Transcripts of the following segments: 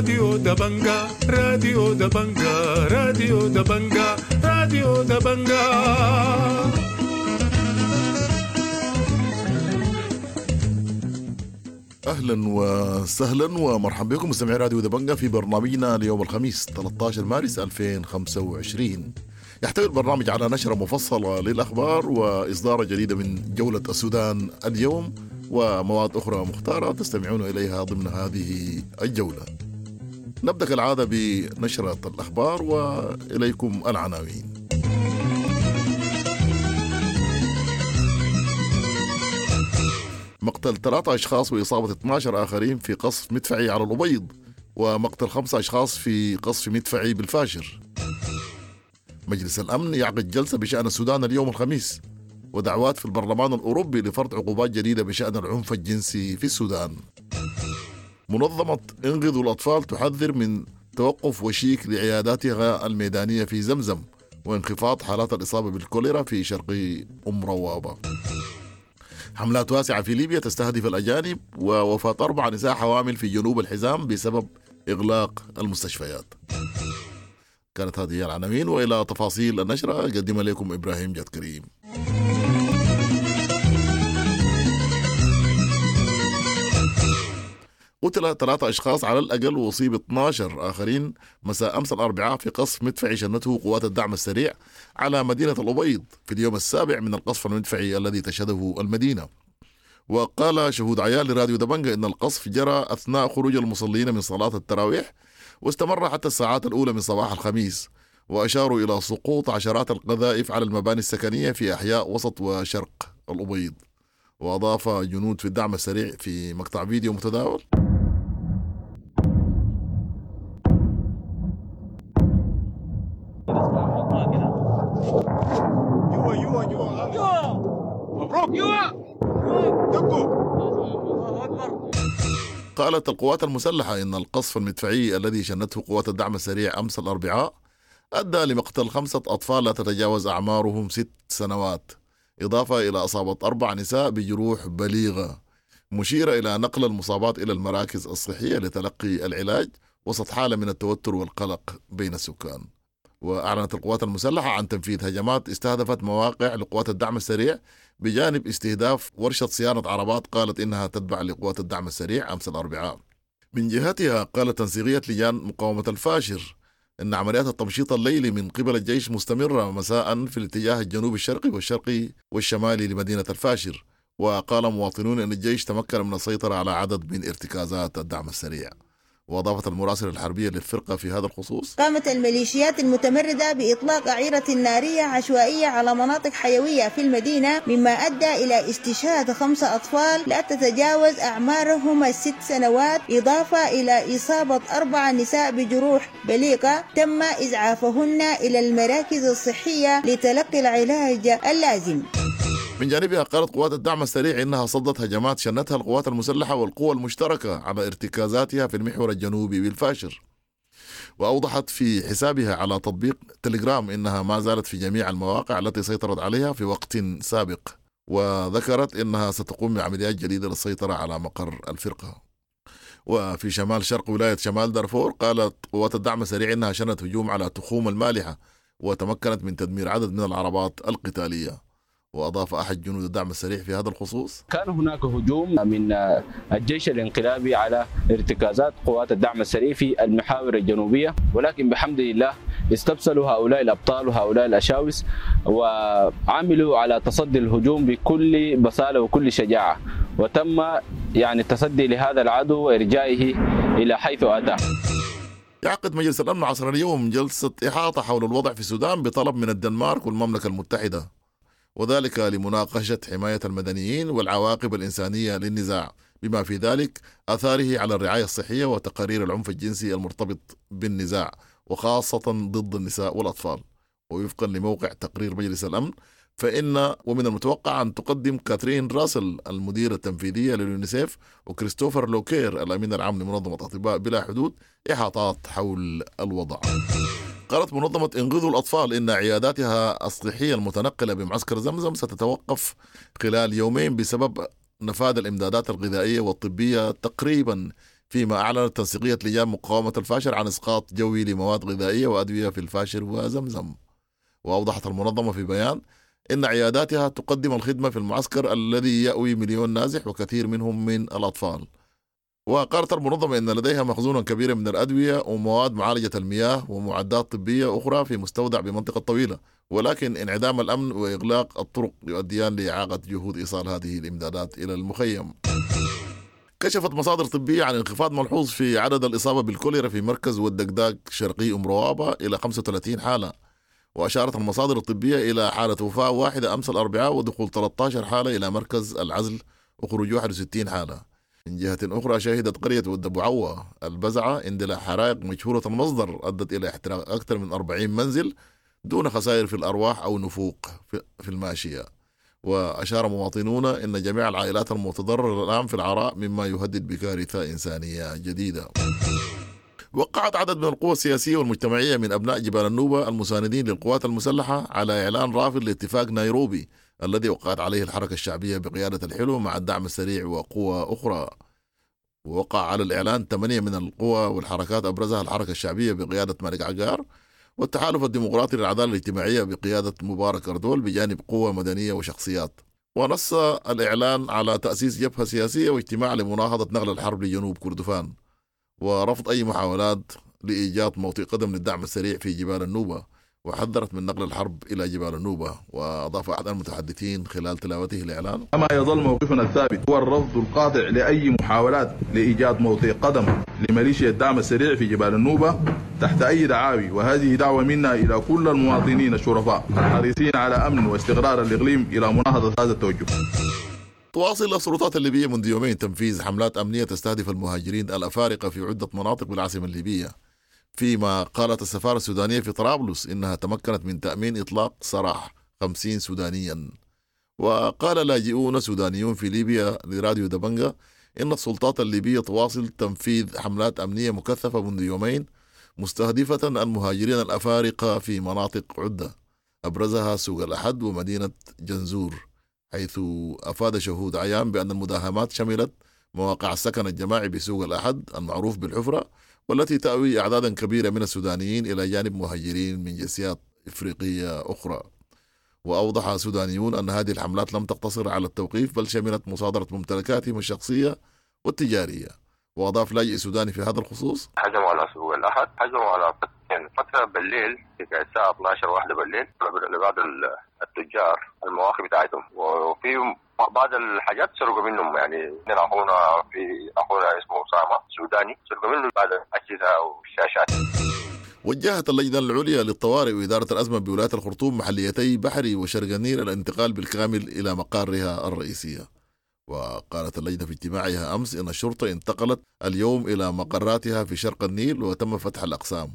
راديو دبنجا، راديو دبنجا، راديو دبنجا، راديو دبنجا. اهلا وسهلا ومرحبا بكم مستمعي راديو دبنجا في برنامجنا ليوم الخميس 13 مارس 2025. يحتوي البرنامج على نشرة مفصلة للأخبار وإصدارة جديدة من جولة السودان اليوم ومواد أخرى مختارة تستمعون إليها ضمن هذه الجولة. نبدأ كالعادة بنشرة الأخبار وإليكم العناوين. مقتل 3 أشخاص وإصابة 12 آخرين في قصف مدفعي على الأبيض، ومقتل 5 أشخاص في قصف مدفعي بالفاشر. مجلس الأمن يعقد جلسة بشأن السودان اليوم الخميس، ودعوات في البرلمان الأوروبي لفرض عقوبات جديدة بشأن العنف الجنسي في السودان. منظمة انقذوا الأطفال تحذر من توقف وشيك لعياداتها الميدانية في زمزم وانخفاض حالات الإصابة بالكوليرا في شرق أم روابة. حملات واسعة في ليبيا تستهدف الأجانب، ووفاة 4 نساء حوامل في جنوب الحزام بسبب إغلاق المستشفيات. كانت هذه العناوين، وإلى تفاصيل النشرة قدم لكم إبراهيم جاد كريم. قتل 3 أشخاص على الأقل وأصيب 12 آخرين مساء أمس الأربعاء في قصف مدفعي شنته قوات الدعم السريع على مدينة الأبيض في اليوم السابع من القصف المدفعي الذي تشهده المدينة. وقال شهود عيان لراديو دبنجا إن القصف جرى أثناء خروج المصلين من صلاة التراويح واستمر حتى الساعات الأولى من صباح الخميس، وأشاروا إلى سقوط عشرات القذائف على المباني السكنية في أحياء وسط وشرق الأبيض. وأضاف جنود في الدعم السريع في مقطع فيديو متداول: قالت القوات المسلحة إن القصف المدفعي الذي شنته قوات الدعم السريع أمس الأربعاء أدى لمقتل 5 أطفال لا تتجاوز أعمارهم 6 سنوات، إضافة إلى إصابة 4 نساء بجروح بليغة، مشيرة إلى نقل المصابات إلى المراكز الصحية لتلقي العلاج وسط حالة من التوتر والقلق بين السكان. وأعلنت القوات المسلحة عن تنفيذ هجمات استهدفت مواقع لقوات الدعم السريع بجانب استهداف ورشة صيانة عربات قالت إنها تتبع لقوات الدعم السريع أمس الأربعاء. من جهتها قالت تنسيقية لجان مقاومة الفاشر إن عمليات التمشيط الليلي من قبل الجيش مستمرة مساء في الاتجاه الجنوبي الشرقي والشرقي والشمالي لمدينة الفاشر. وقال مواطنون إن الجيش تمكن من السيطرة على عدد من ارتكازات الدعم السريع. وأضافت المراسلة الحربية للفرقة في هذا الخصوص: قامت الميليشيات المتمردة بإطلاق أعيرة نارية عشوائية على مناطق حيوية في المدينة، مما أدى إلى استشهاد 5 أطفال لا تتجاوز أعمارهم 6 سنوات، إضافة إلى إصابة 4 نساء بجروح بليغة تم إسعافهن إلى المراكز الصحية لتلقي العلاج اللازم. من جانبها قالت قوات الدعم السريع إنها صدت هجمات شنتها القوات المسلحة والقوى المشتركة على ارتكازاتها في المحور الجنوبي بالفاشر. وأوضحت في حسابها على تطبيق تليجرام إنها ما زالت في جميع المواقع التي سيطرت عليها في وقت سابق، وذكرت إنها ستقوم بعمليات جديدة للسيطرة على مقر الفرقة. وفي شمال شرق ولاية شمال دارفور قالت قوات الدعم السريع إنها شنت هجوم على تخوم المالحة وتمكنت من تدمير عدد من العربات القتالية. وأضاف أحد جنود الدعم السريع في هذا الخصوص: كان هناك هجوم من الجيش الانقلابي على ارتكازات قوات الدعم السريع في المحاور الجنوبية، ولكن بحمد الله استبسلوا هؤلاء الأبطال وهؤلاء الأشاوس وعملوا على تصدي الهجوم بكل بسالة وكل شجاعة، وتم التصدي لهذا العدو وإرجائه إلى حيث أتى. يعقد مجلس الأمن عصر اليوم جلسة إحاطة حول الوضع في السودان بطلب من الدنمارك والمملكة المتحدة، وذلك لمناقشة حماية المدنيين والعواقب الإنسانية للنزاع، بما في ذلك آثاره على الرعاية الصحية وتقارير العنف الجنسي المرتبط بالنزاع، وخاصة ضد النساء والأطفال. ووفقا لموقع تقرير مجلس الأمن فإن ومن المتوقع أن تقدم كاترين راسل المديرة التنفيذية لليونيسيف وكريستوفر لوكير الأمين العام لمنظمة أطباء بلا حدود إحاطات حول الوضع. قالت منظمة انقذوا الأطفال إن عياداتها الصحية المتنقلة بمعسكر زمزم ستتوقف خلال يومين بسبب نفاذ الإمدادات الغذائية والطبية تقريبا فيما أعلنت تنسيقية لجان مقاومة الفاشر عن إسقاط جوي لمواد غذائية وأدوية في الفاشر وزمزم. وأوضحت المنظمة في بيان إن عياداتها تقدم الخدمة في المعسكر الذي يأوي 1,000,000 نازح وكثير منهم من الأطفال. وقالت المنظمة إن لديها مخزونا كبيرا من الأدوية ومواد معالجة المياه ومعدات طبية أخرى في مستودع بمنطقة طويلة، ولكن انعدام الأمن وإغلاق الطرق يؤديان لإعاقة جهود إيصال هذه الإمدادات إلى المخيم. كشفت مصادر طبية عن انخفاض ملحوظ في عدد الإصابة بالكوليرا في مركز ودقداق شرقي أم روابة إلى 35 حالة. وأشارت المصادر الطبية إلى حالة وفاة واحدة أمس الأربعاء ودخول 13 حالة إلى مركز العزل وخروج 61 حالة. من جهة أخرى شهدت قرية ود بوعوة البزعة اندلاع حرائق مجهولة المصدر أدت إلى احتراق أكثر من 40 منزل دون خسائر في الأرواح أو نفوق في الماشية. وأشار مواطنون أن جميع العائلات المتضررة الآن في العراء مما يهدد بكارثة إنسانية جديدة. وقعت عدد من القوى السياسية والمجتمعية من أبناء جبال النوبة المساندين للقوات المسلحة على إعلان رافض لاتفاق نيروبي الذي وقعت عليه الحركة الشعبية بقيادة الحلو مع الدعم السريع وقوى أخرى. ووقع على الإعلان 8 من القوى والحركات أبرزها الحركة الشعبية بقيادة مالك عقار والتحالف الديمقراطي للعدالة الاجتماعية بقيادة مبارك أردول بجانب قوى مدنية وشخصيات. ونص الإعلان على تأسيس جبهة سياسية واجتماع لمناهضة نقل الحرب لجنوب كردفان ورفض أي محاولات لإيجاد موطئ قدم للدعم السريع في جبال النوبة، وحذرت من نقل الحرب إلى جبال النوبة. وأضاف أحد المتحدثين خلال تلاوته الإعلان: كما يظل موقفنا الثابت هو الرفض القاطع لأي محاولات لإيجاد موطئ قدم لميليشيا الدعم السريع في جبال النوبة تحت أي دعاوي، وهذه دعوة منا إلى كل المواطنين الشرفاء الحريصين على أمن واستقرار الإقليم إلى مناهضة هذا التوجه. تواصل السلطات الليبية منذ يومين تنفيذ حملات أمنية تستهدف المهاجرين الأفارقة في عدة مناطق بالعاصمة الليبية، فيما قالت السفارة السودانية في طرابلس إنها تمكنت من تأمين إطلاق سراح 50 سودانيا. وقال لاجئون سودانيون في ليبيا لراديو دبنجة إن السلطات الليبية تواصل تنفيذ حملات أمنية مكثفة منذ يومين مستهدفة المهاجرين الأفارقة في مناطق عدة أبرزها سوق الأحد ومدينة جنزور، حيث أفاد شهود عيان بأن المداهمات شملت مواقع السكن الجماعي بسوق الأحد المعروف بالحفرة، والتي تأوي أعدادا كبيرة من السودانيين إلى جانب مهاجرين من جنسيات إفريقية أخرى. وأوضح سودانيون أن هذه الحملات لم تقتصر على التوقيف بل شملت مصادرة ممتلكاتهم الشخصية والتجارية. وأضاف لاجئ سوداني في هذا الخصوص: هجموا على سوق الأحد، هجموا على فترة بالليل في الساعة 12 واحدة بالليل لبعض التجار المواقف بتاعتهم، وفي بعض الحاجات سرقوا منهم. يعني اخونا في اخونا اسمه اسامه سوداني سرقوا منه بعض الاجهزه والشاشات. وجهت اللجنة العليا للطوارئ وإدارة الأزمة بولاية الخرطوم محليتي بحري وشرق النيل الانتقال بالكامل إلى مقارها الرئيسية. وقالت اللجنة في اجتماعها أمس إن الشرطة انتقلت اليوم إلى مقراتها في شرق النيل وتم فتح الأقسام.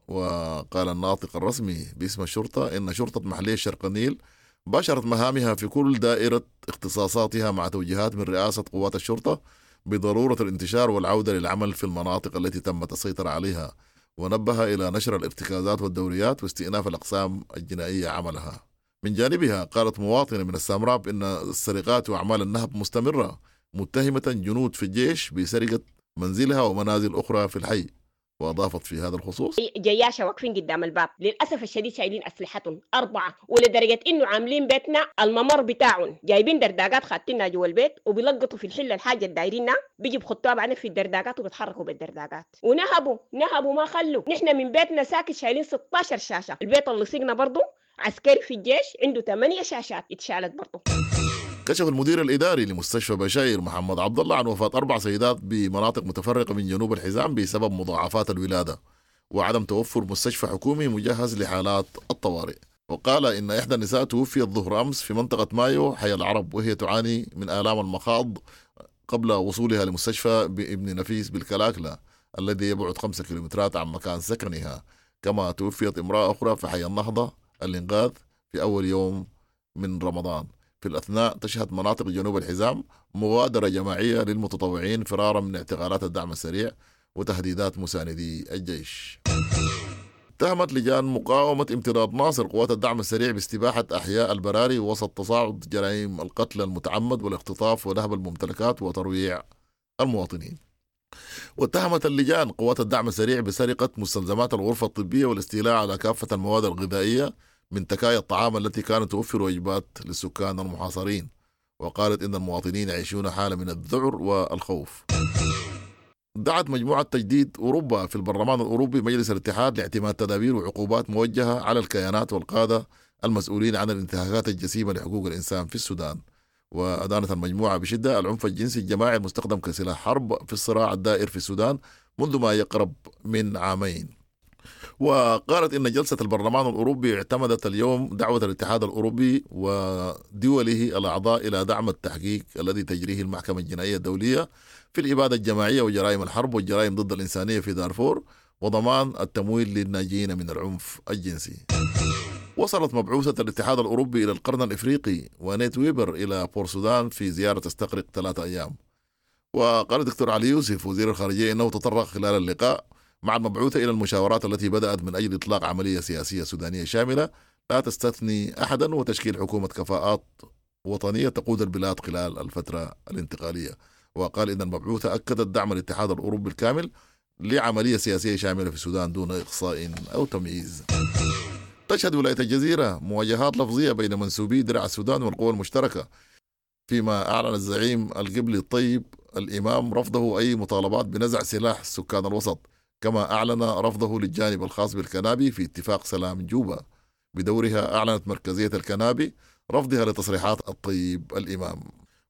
وقال الناطق الرسمي باسم الشرطة إن شرطة محلية شرق النيل باشرت مهامها في كل دائرة اختصاصاتها مع توجيهات من رئاسة قوات الشرطة بضرورة الانتشار والعودة للعمل في المناطق التي تمت السيطرة عليها، ونبه إلى نشر الارتكازات والدوريات واستئناف الأقسام الجنائية عملها. من جانبها قالت مواطنة من السامراب إن السرقات وأعمال النهب مستمرة، متهمة جنود في الجيش بسرقة منزلها ومنازل أخرى في الحي. وأضافت في هذا الخصوص: جياشة واقفين قدام الباب للأسف الشديد، شايلين أسلحتهم 4، ولدرجة إنه عاملين بيتنا الممر بتاعهم، جايبين درداقات خاتينها جوا البيت وبيلقطوا في الحلة الحاجة الدايرينها، بيجي بخطوها بعدين في الدرداقات وبيتحركوا بالدرداقات ونهبوا ما خلوا. نحن من بيتنا ساكت شايلين 16 شاشة، البيت اللي سقنا برضو عسكري في الجيش عنده 8 شاشات اتشالت برضو. كشف المدير الإداري لمستشفى بشاير محمد عبد الله عن وفاة 4 سيدات بمناطق متفرقة من جنوب الحزام بسبب مضاعفات الولادة وعدم توفر مستشفى حكومي مجهز لحالات الطوارئ. وقال إن إحدى النساء توفيت ظهر أمس في منطقة مايو حي العرب وهي تعاني من آلام المخاض قبل وصولها لمستشفى بابن نفيس بالكلاكلة الذي يبعد 5 كيلومترات عن مكان سكنها. كما توفيت امرأة أخرى في حي النهضة الإنقاذ في أول يوم من رمضان. في الأثناء تشهد مناطق جنوب الحزام مغادرة جماعية للمتطوعين فرارا من اعتقالات الدعم السريع وتهديدات مساندي الجيش. اتهمت لجان مقاومة امتداد ناصر قوات الدعم السريع باستباحة أحياء البراري وسط تصاعد جرائم القتل المتعمد والاختطاف ونهب الممتلكات وترويع المواطنين. واتهمت اللجان قوات الدعم السريع بسرقة مستلزمات الغرفة الطبية والاستيلاء على كافة المواد الغذائية من تكايا الطعام التي كانت توفر وجبات للسكان المحاصرين. وقالت إن المواطنين يعيشون حالة من الذعر والخوف. دعت مجموعة تجديد أوروبا في البرلمان الأوروبي مجلس الاتحاد لاعتماد تدابير وعقوبات موجهة على الكيانات والقادة المسؤولين عن الانتهاكات الجسيمة لحقوق الإنسان في السودان. وأدانت المجموعة بشدة العنف الجنسي الجماعي المستخدم كسلاح حرب في الصراع الدائر في السودان منذ ما يقرب من عامين. وقالت إن جلسة البرلمان الأوروبي اعتمدت اليوم دعوة الاتحاد الأوروبي ودوله الأعضاء إلى دعم التحقيق الذي تجريه المحكمة الجنائية الدولية في الإبادة الجماعية وجرائم الحرب والجرائم ضد الإنسانية في دارفور وضمان التمويل للناجين من العنف الجنسي. وصلت مبعوثة الاتحاد الأوروبي إلى القرن الإفريقي وانيت ويبر إلى بورسودان في زيارة تستغرق 3 أيام. وقال الدكتور علي يوسف وزير الخارجية إنه تطرق خلال اللقاء مع المبعوثة إلى المشاورات التي بدأت من أجل إطلاق عملية سياسية سودانية شاملة لا تستثني أحدا وتشكيل حكومة كفاءات وطنية تقود البلاد خلال الفترة الانتقالية. وقال إن المبعوثة أكدت دعم الاتحاد الأوروبي الكامل لعملية سياسية شاملة في السودان دون إقصاء أو تمييز. تشهد ولاية الجزيرة مواجهات لفظية بين منسوبي درع السودان والقوى المشتركة، فيما أعلن الزعيم القبلي الطيب الإمام رفضه أي مطالبات بنزع سلاح سكان الوسط، كما أعلن رفضه للجانب الخاص بالكنابي في اتفاق سلام جوبا. بدورها أعلنت مركزية الكنابي رفضها لتصريحات الطيب الإمام.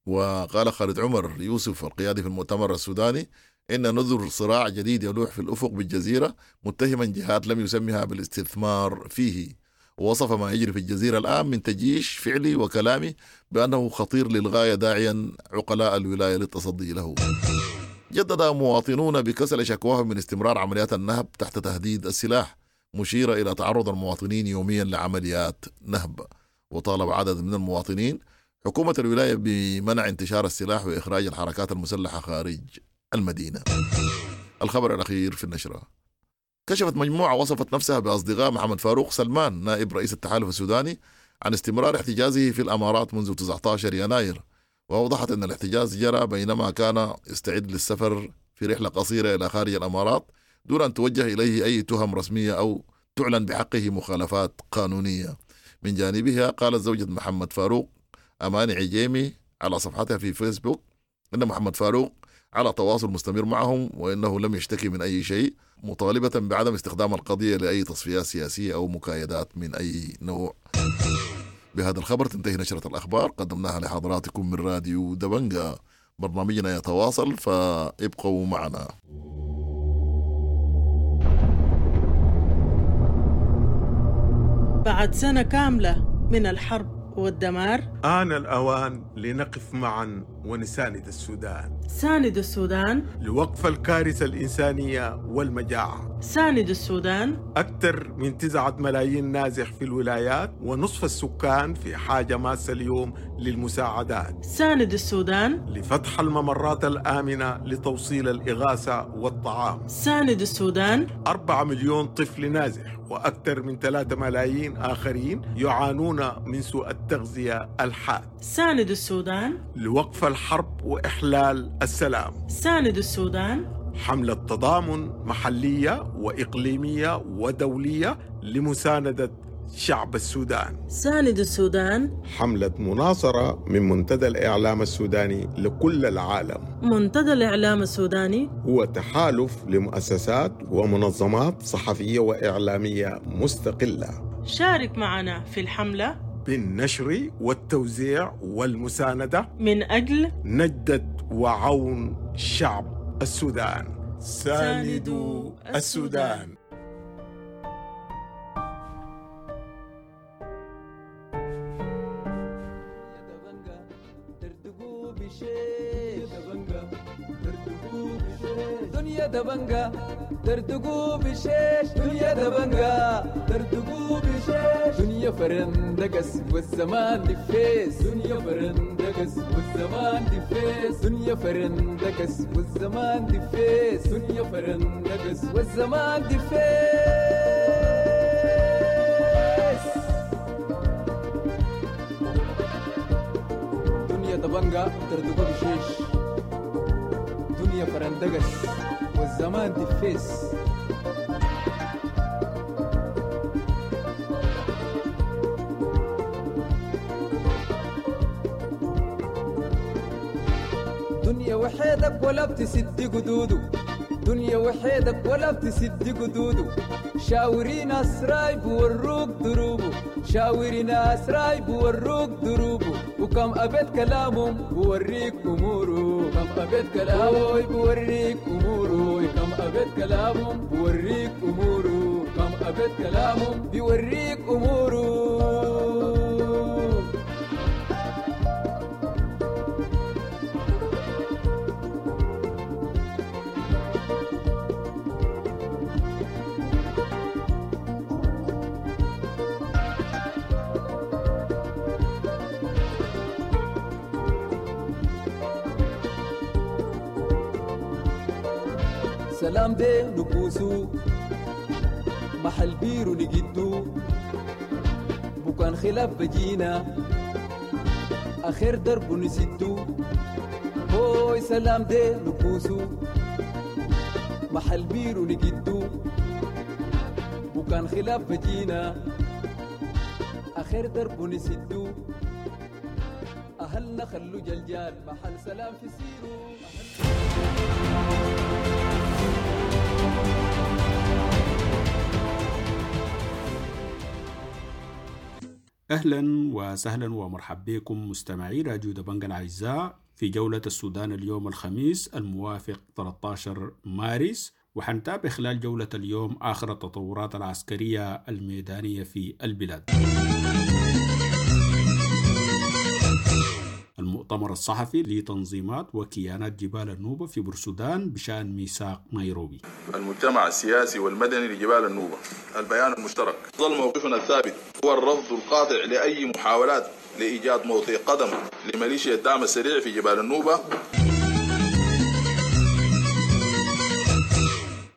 وقال خالد عمر يوسف القيادي في المؤتمر السوداني إن نذر صراع جديد يلوح في الأفق بالجزيرة، متهما جهات لم يسمها بالاستثمار فيه. ووصف ما يجري في الجزيرة الآن من تجيش فعلي وكلامي بأنه خطير للغاية، داعيا عقلاء الولاية للتصدي له. جدد مواطنون بكسل شكواهم من استمرار عمليات النهب تحت تهديد السلاح، مشيرة إلى تعرض المواطنين يوميا لعمليات نهب. وطالب عدد من المواطنين حكومة الولاية بمنع انتشار السلاح وإخراج الحركات المسلحة خارج المدينة. الخبر الأخير في النشرة: كشفت مجموعة وصفت نفسها بأصدقاء محمد فاروق سلمان نائب رئيس التحالف السوداني عن استمرار احتجازه في الأمارات منذ 19 يناير، وأوضحت أن الاحتجاز جرى بينما كان يستعد للسفر في رحلة قصيرة إلى خارج الأمارات دون أن توجه إليه أي تهم رسمية أو تعلن بحقه مخالفات قانونية. من جانبها قالت زوجة محمد فاروق أماني عجيمي على صفحتها في فيسبوك أن محمد فاروق على تواصل مستمر معهم وإنه لم يشتكي من أي شيء، مطالبة بعدم استخدام القضية لأي تصفيات سياسية أو مكايدات من أي نوع. بهذا الخبر تنتهي نشرة الأخبار، قدمناها لحضراتكم من راديو دبنجا. برنامجنا يتواصل فابقوا معنا. بعد سنة كاملة من الحرب والدمار، آن الأوان لنقف معا ونساند السودان. ساند السودان لوقف الكارثة الإنسانية والمجاعة. ساند السودان. أكثر من 9 ملايين نازح في الولايات، ونصف السكان في حاجة ماسة اليوم للمساعدات. ساند السودان لفتح الممرات الآمنة لتوصيل الإغاثة والطعام. ساند السودان. 4 مليون طفل نازح وأكثر من 3 ملايين آخرين يعانون من سوء التغذية الحاد. ساند السودان لوقف الحرب وإحلال السلام. ساند السودان. حملة تضامن محلية وإقليمية ودولية لمساندة شعب السودان. ساند السودان. حملة مناصرة من منتدى الإعلام السوداني لكل العالم. منتدى الإعلام السوداني هو تحالف لمؤسسات ومنظمات صحفية وإعلامية مستقلة. شارك معنا في الحملة بالنشر والتوزيع والمساندة من أجل نجدة وعون شعب السودان. ساندوا السودان. دنيا دبنجا دردقوا بشيش، دنيا دبنجا دردقوا بشيش، دنيا فرندقس والزمان دفيس، دنيا فرندقس والزمان دفيس، دنيا فرندقس والزمان دفيس، دنيا فرندقس والزمان دفيس. دنيا دبنجا دردقوا بشيش، دنيا فرندقس والزمان دفيس. دنيا وحيدك ولا بتسد قدوده، دنيا وحيدك ولا بتسد قدوده، شاوري ناس رايب وروك دروبه، شاوري ناس رايب وروك دروبه، وكم أبيت كلامهم بوريك أموره، كم أبيت كلامهم بوريك أموره، كم أبيت كلامهم بوريك أموره، كم أبيت كلامهم بيوريك أموره. سلام دي نكوسو محل بيرو نجدو، بكان خلاف بجينا آخر درب نسدو، هوي سلام دي نكوسو محل بيرو نجدو، بكان خلاف بجينا آخر درب نسدو، أهلنا خلو جلجال محل سلام في سيرو. أهلا وسهلا ومرحبا بكم مستمعي راديو دبنجا الأعزاء في جولة السودان اليوم الخميس الموافق 13 مارس، وحنتابع خلال جولة اليوم آخر التطورات العسكرية الميدانية في البلاد. المؤتمر الصحفي لتنظيمات وكيانات جبال النوبة في بورسودان بشأن ميثاق نيروبي. المجتمع السياسي والمدني لجبال النوبة، البيان المشترك: ظل موقفنا الثابت هو الرفض القاطع لأي محاولات لإيجاد موطئ قدم لميليشيا الدعم السريع في جبال النوبة.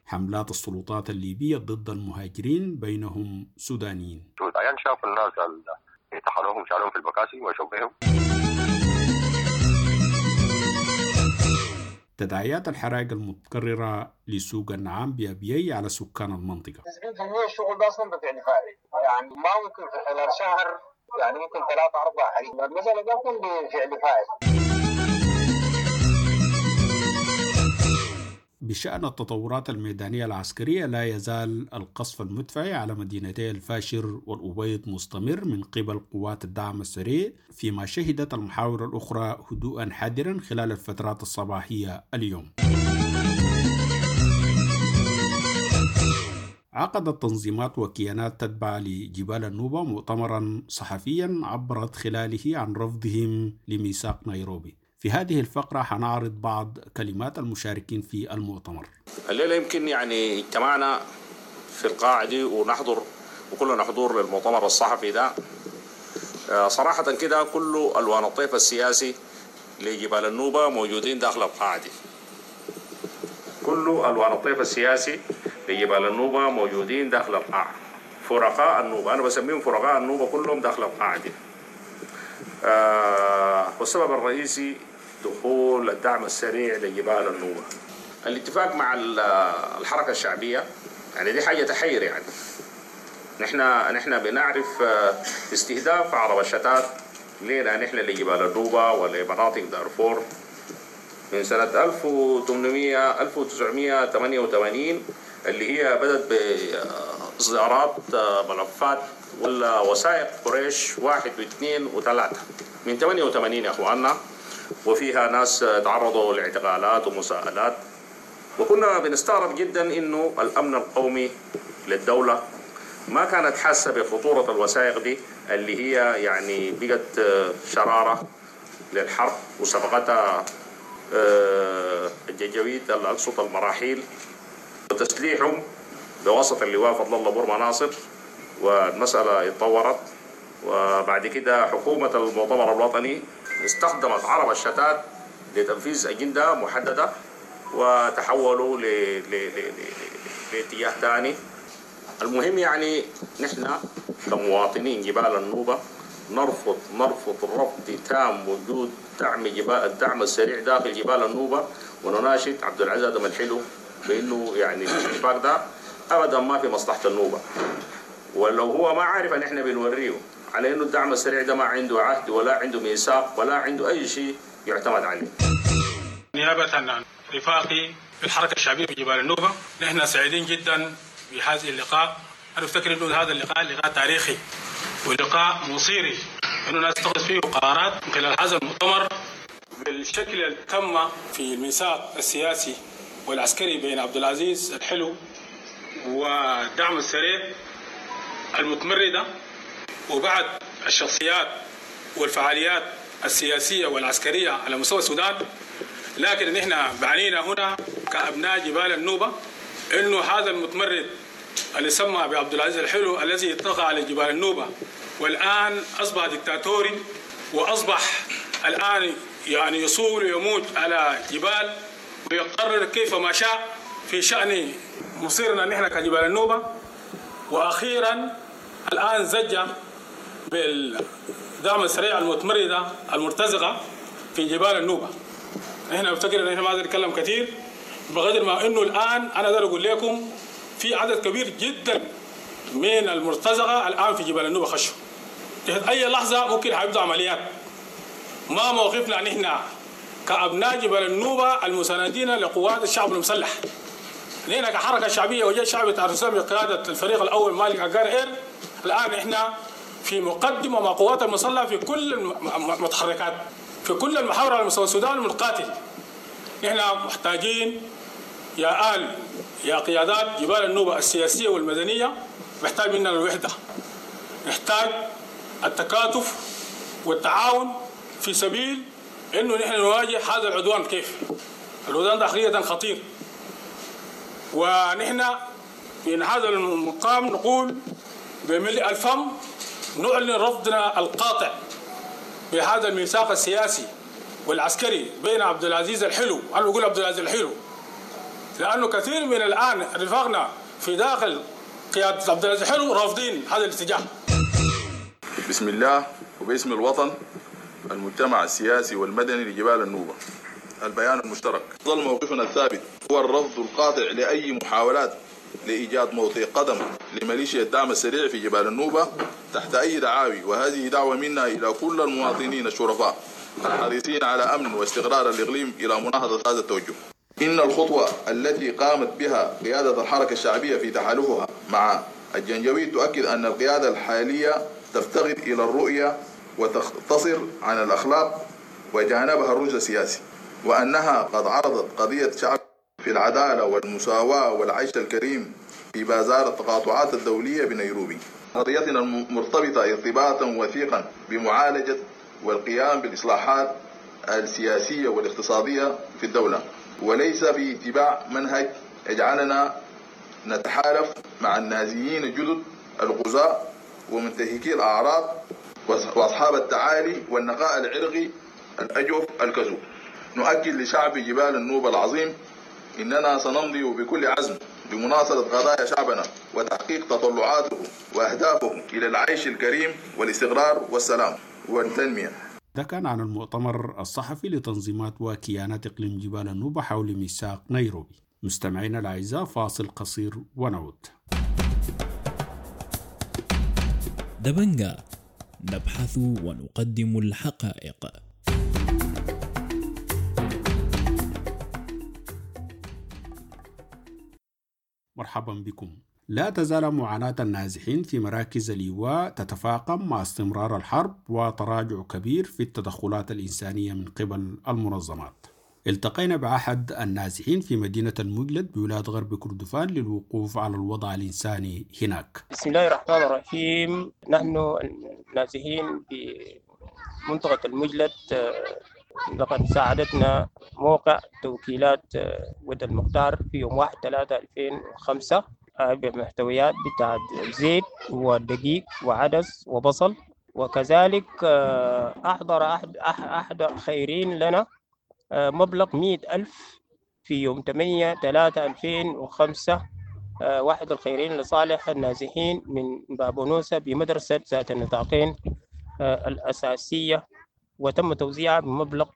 حملات السلطات الليبية ضد المهاجرين بينهم سودانيين. العيان شافوا الناس اللي طحنوهم شالوهم في البكاسي وشوا بهم. تداعيات الحرائق المتكررة لسوق النعام بأبيي على سكان المنطقة. 90% الشغل ده أصلا بفعل فاعل، يعني ما ممكن في خلال شهر، يعني ممكن 3 4 حريق، المسألة ده ممكن بفعل فاعل. بشأن التطورات الميدانية العسكرية، لا يزال القصف المدفعي على مدينتي الفاشر والأبيض مستمر من قبل قوات الدعم السريع، فيما شهدت المحاور الأخرى هدوءا حذرا خلال الفترات الصباحية اليوم. عقدت تنظيمات وكيانات تتبع لجبال النوبة مؤتمرا صحفيا عبرت خلاله عن رفضهم لميثاق نيروبي. في هذه الفقرة حنعرض بعض كلمات المشاركين في المؤتمر. الليلة يمكن يعني اجتمعنا في القاعة دي ونحضر وكلنا حضور للمؤتمر الصحفي ده. صراحة كده كل ألوان الطيف السياسي لجبال النوبة موجودين داخل القاعة دي. كل ألوان الطيف السياسي لجبال النوبة موجودين داخل القاعة. فرقاء النوبة، أنا بسميهم فرقاء النوبة، كلهم داخل القاعة دي. والسبب الرئيسي دخول الدعم السريع لجبال النوبة. الاتفاق مع الحركة الشعبية يعني دي حاجة تحير، يعني نحن بنعرف استهداف عرب الشتات لنا نحن لجبال النوبة ولمناطق دارفور من سنة 1988 اللي هي بدأت بإصدارات ملفات ولا وثائق قريش 1 و2 و3 من 88 يا أخواننا، وفيها ناس تعرضوا لاعتقالات ومساءلات، وكنا بنستغرب جدا إنه الأمن القومي للدولة ما كانت حاسة بخطورة الوثائق دي اللي هي يعني بقت شرارة للحرب وسبقتها الجنجويد أقصد المراحيل وتسليحهم بواسطة اللواء فضل الله بورما ناصر، والمسألة اتطورت. وبعد كده حكومة المؤتمر الوطني استخدمت عرب الشتات لتنفيذ أجندة محددة وتحولوا لاتجاه ثاني. المهم يعني نحن كمواطنين جبال النوبة نرفض رفض تام وجود دعم جبال الدعم السريع داخل جبال النوبة، ونناشد عبد العزيز ادم الحلو بانه يعني الاتفاق ده ابدا ما في مصلحة النوبة، ولو هو ما عارف ان احنا بنوريه على انه الدعم السريع ده ما عنده عهد ولا عنده ميثاق ولا عنده اي شيء يعتمد عليه. نيابة عن رفاقي في الحركة الشعبية في جبال النوبة، نحن سعيدين جدا بهذا اللقاء. انا افتكر انه هذا اللقاء لقاء تاريخي ولقاء مصيري، انه الناس تتخذ فيه قرارات من خلال هذا المؤتمر بالشكل اللي تم في الميثاق السياسي والعسكري بين عبد العزيز الحلو والدعم السريع المتمردة وبعد الشخصيات والفعاليات السياسية والعسكرية على مستوى السودان. لكن نحن بعنينا هنا كأبناء جبال النوبة إنه هذا المتمرد اللي سمى بعبد العزيز الحلو الذي طغى على جبال النوبة والآن أصبح دكتاتوري، وأصبح الآن يعني يصول ويموت على جبال ويقرر كيف ما شاء في شأن مصيرنا نحن كجبال النوبة. وأخيرا الآن زج بالدعم السريع المتمردة المرتزقة في جبال النوبة. نحن نفتكر ان احنا ما نتكلم كثير بقدر ما انه الان انا اقدر اقول لكم في عدد كبير جدا من المرتزقة الان في جبال النوبة خشوا تحت اي لحظة ممكن حيبدأ عمليات. ما موقفنا نحن كابناء جبال النوبة المساندين لقوات الشعب المسلح، نحن كحركه شعبية وجيش شعبي السودان بقيادة الفريق الاول مالك عقار اير، الان احنا في مقدمه مع قوات المسلحة في كل المتحركات في كل المحاور على مستوى السودان المتقاتل. نحن محتاجين يا آل يا قيادات جبال النوبة السياسية والمدنية، محتاج مننا الوحدة، نحتاج التكاتف والتعاون في سبيل انه نحن نواجه هذا العدوان. كيف؟ العدوان ده حقيقة خطير، ونحن من هذا المقام نقول بملء الفم نعلن رفضنا القاطع بهذا الميثاق السياسي والعسكري بين عبد العزيز الحلو. انا بقول عبد العزيز الحلو لانه كثير من الان رفاقنا في داخل قيادة عبد العزيز الحلو رافضين هذا الاتجاه. بسم الله وباسم الوطن المجتمع السياسي والمدني لجبال النوبة، البيان المشترك. ظل موقفنا الثابت هو الرفض القاطع لأي محاولات لإيجاد موطئ قدم لميليشيا الدعم السريع في جبال النوبة تحت أي دعاوي، وهذه دعوة منا إلى كل المواطنين الشرفاء الحريصين على أمن واستقرار الإقليم إلى مناهضة هذا التوجه. إن الخطوة التي قامت بها قيادة الحركة الشعبية في تحالفها مع الجنجويد تؤكد أن القيادة الحالية تفتقد إلى الرؤية وتختصر عن الأخلاق وجانبها الرشد السياسي، وأنها قد عرضت قضية شعب في العدالة والمساواة والعيش الكريم في بازار التقاطعات الدولية بنيروبي. قضيتنا مرتبطة ارتباطا وثيقا بمعالجة والقيام بالإصلاحات السياسية والاقتصادية في الدولة، وليس في اتباع منهج يجعلنا نتحالف مع النازيين الجدد الغزاة ومنتهكي الأعراض وأصحاب التعالي والنقاء العرقي الأجوف الكذوب. نؤكد لشعب جبال النوبة العظيم إننا سنمضي بكل عزم بمناصرة قضايا شعبنا وتحقيق تطلعاته وأهدافه إلى العيش الكريم والاستقرار والسلام والتنمية. ده كان عن المؤتمر الصحفي لتنظيمات وكيانات إقليم جبال النوبة حول ميثاق نيروبي. مستمعينا الأعزاء، فاصل قصير ونعود. دبنجا، نبحث ونقدم الحقائق. مرحبا بكم. لا تزال معاناة النازحين في مراكز الإيواء تتفاقم مع استمرار الحرب وتراجع كبير في التدخلات الإنسانية من قبل المنظمات. التقينا بأحد النازحين في مدينة المجلد بولاية غرب كردفان للوقوف على الوضع الإنساني هناك. بسم الله الرحمن الرحيم. نحن النازحين بمنطقة المجلد لقد ساعدتنا موقع توكيلات ود المختار في يوم 1/3/2005 بمحتويات بتاع زيت ودقيق وعدس وبصل، وكذلك أحضر أحد الخيرين لنا مبلغ 100,000 في يوم 8/3/2005، واحد الخيرين لصالح النازحين من بابونوسا بمدرسة ذات النطاقين الأساسية، وتم توزيعها بمبلغ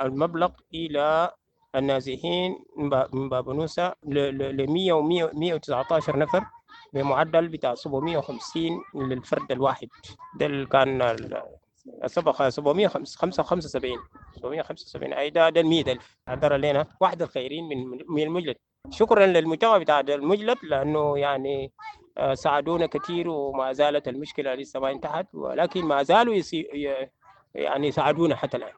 المبلغ إلى النازحين من بابنوسة ل 100 و 119 نفر بمعدل بتاع 750 للفرد الواحد. ده اللي كان سبق 775، 775، اي ده 100,000 حضر لنا واحد الخيرين من المجلد. شكرا للمجتمع بتاع المجلد لانه يعني ساعدونا كثير، وما زالت المشكله لسه ما انتهت، ولكن ما زالوا يعني ساعدونا حتى الان.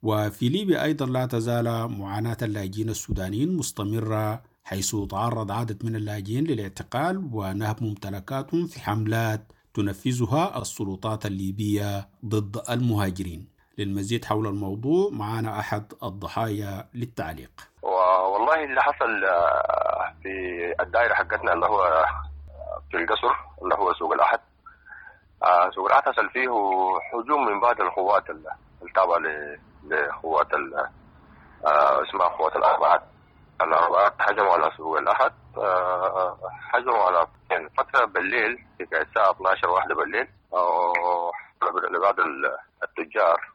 وفي ليبيا أيضا لا تزال معاناة اللاجئين السودانيين مستمرة، حيث تعرض عدد من اللاجئين للاعتقال ونهب ممتلكاتهم في حملات تنفذها السلطات الليبية ضد المهاجرين. للمزيد حول الموضوع معنا أحد الضحايا للتعليق. والله اللي حصل في الدائرة حقتنا اللي هو في القصر اللي هو سوق الأحد، سوق الأحد حصل فيه هجوم من بعض القوات التابعة لقوات اسمها قوات الأربعات. الأربعات هجموا على سوق الأحد، هجموا على يعني فترة بالليل في الساعة 12 واحدة بالليل لبعض التجار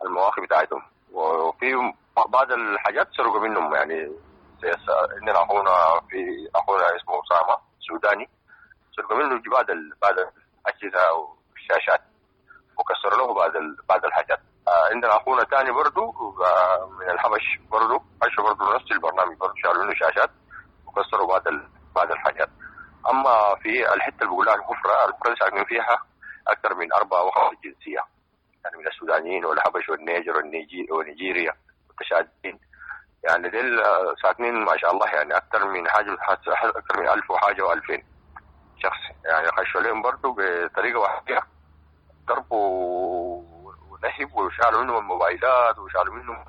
المواقف بتاعتهم، وفي بعض الحاجات سرقوا منهم. يعني زي عندنا أخونا في أخونا اسمه أسامة سوداني، سرقوا منه بعض الأجهزة والشاشات وكسروا له بعض الحاجات. عندنا أخونا تاني برضو من الحبش برضو خشوا برضو نفس البرنامج، برضو شالوا له شاشات وكسروا بعض الحاجات. أما في الحتة اللي بيقولها الحفرة ساكنين فيها أكثر من 4 أو 5 جنسية، يعني من السودانيين والحبش والنيجر ونيجيريا والتشاديين، يعني ديل ساكنين ما شاء الله يعني أكثر من حاجة، أكثر من 1000 وحاجة و2000 شخص. يعني خشوا لهم برضو بطريقة واحدة، ضربوا ونهب وشالوا منهم الموبايلات وشالوا منهم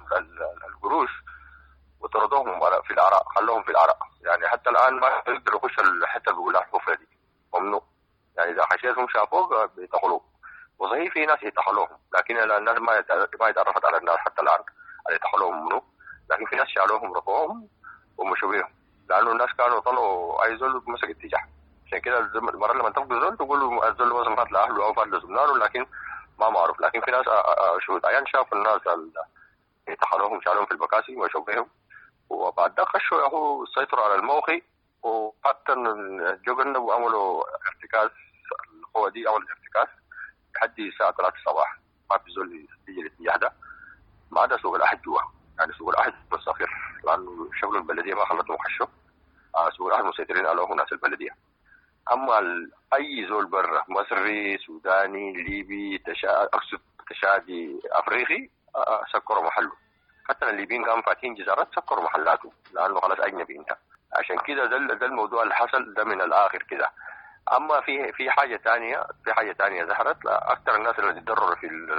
القروش وطردوهم في العراء، خلوهم في العراء. يعني حتى الآن ما يقدروا يخشوا الحتة اللي بيقولها الحفرة دي، ممنوع. يعني إذا خشيتهم شافوك بيدخلوك، وصحيح في ناس يدخلوهم، لكن الناس ما يتعرفت على الناس حتى الآن اللي دخلوهم منو، لكن في ناس شالوهم رفعوهم ومشوا بيهم، لأنه الناس كانوا طلعوا أي زول مسك اتجاه. عشان كده المرة لما تاخذ زول تقول الزول مثلا فات لأهله أو فات لزملائه، لكن ما معروف. لكن في ناس شهود عيان شافوا الناس اللي دخلوهم شالوهم في البكاسي ومشوا بيهم، وبعد ده خشوا ياهو سيطروا على الموقع، وحتى جوجن وعملوا ارتكاز. القوة دي عملوا ارتكاز لحد الساعة 3 الصباح، ما في زول يجي الاتجاه ده ما عدا سوق الأحد جوا. يعني سوق الأحد مستقر لأنه شغل البلدية ما خلتهم يخشوا، سوق الأحد مسيطرين عليه ناس البلدية. أما أي زول برا، مصري سوداني ليبي أقصد تشادي أفريقي، سكروا محله. حتى الليبيين كانوا فاتحين جزارات سكروا محلاته لأنه خلاص أجنبي أنت. عشان كده ده الموضوع اللي حصل ده من الآخر كده. أما في حاجة ثانية، في حاجة ثانية ظهرت، أكثر الناس اللي تضرروا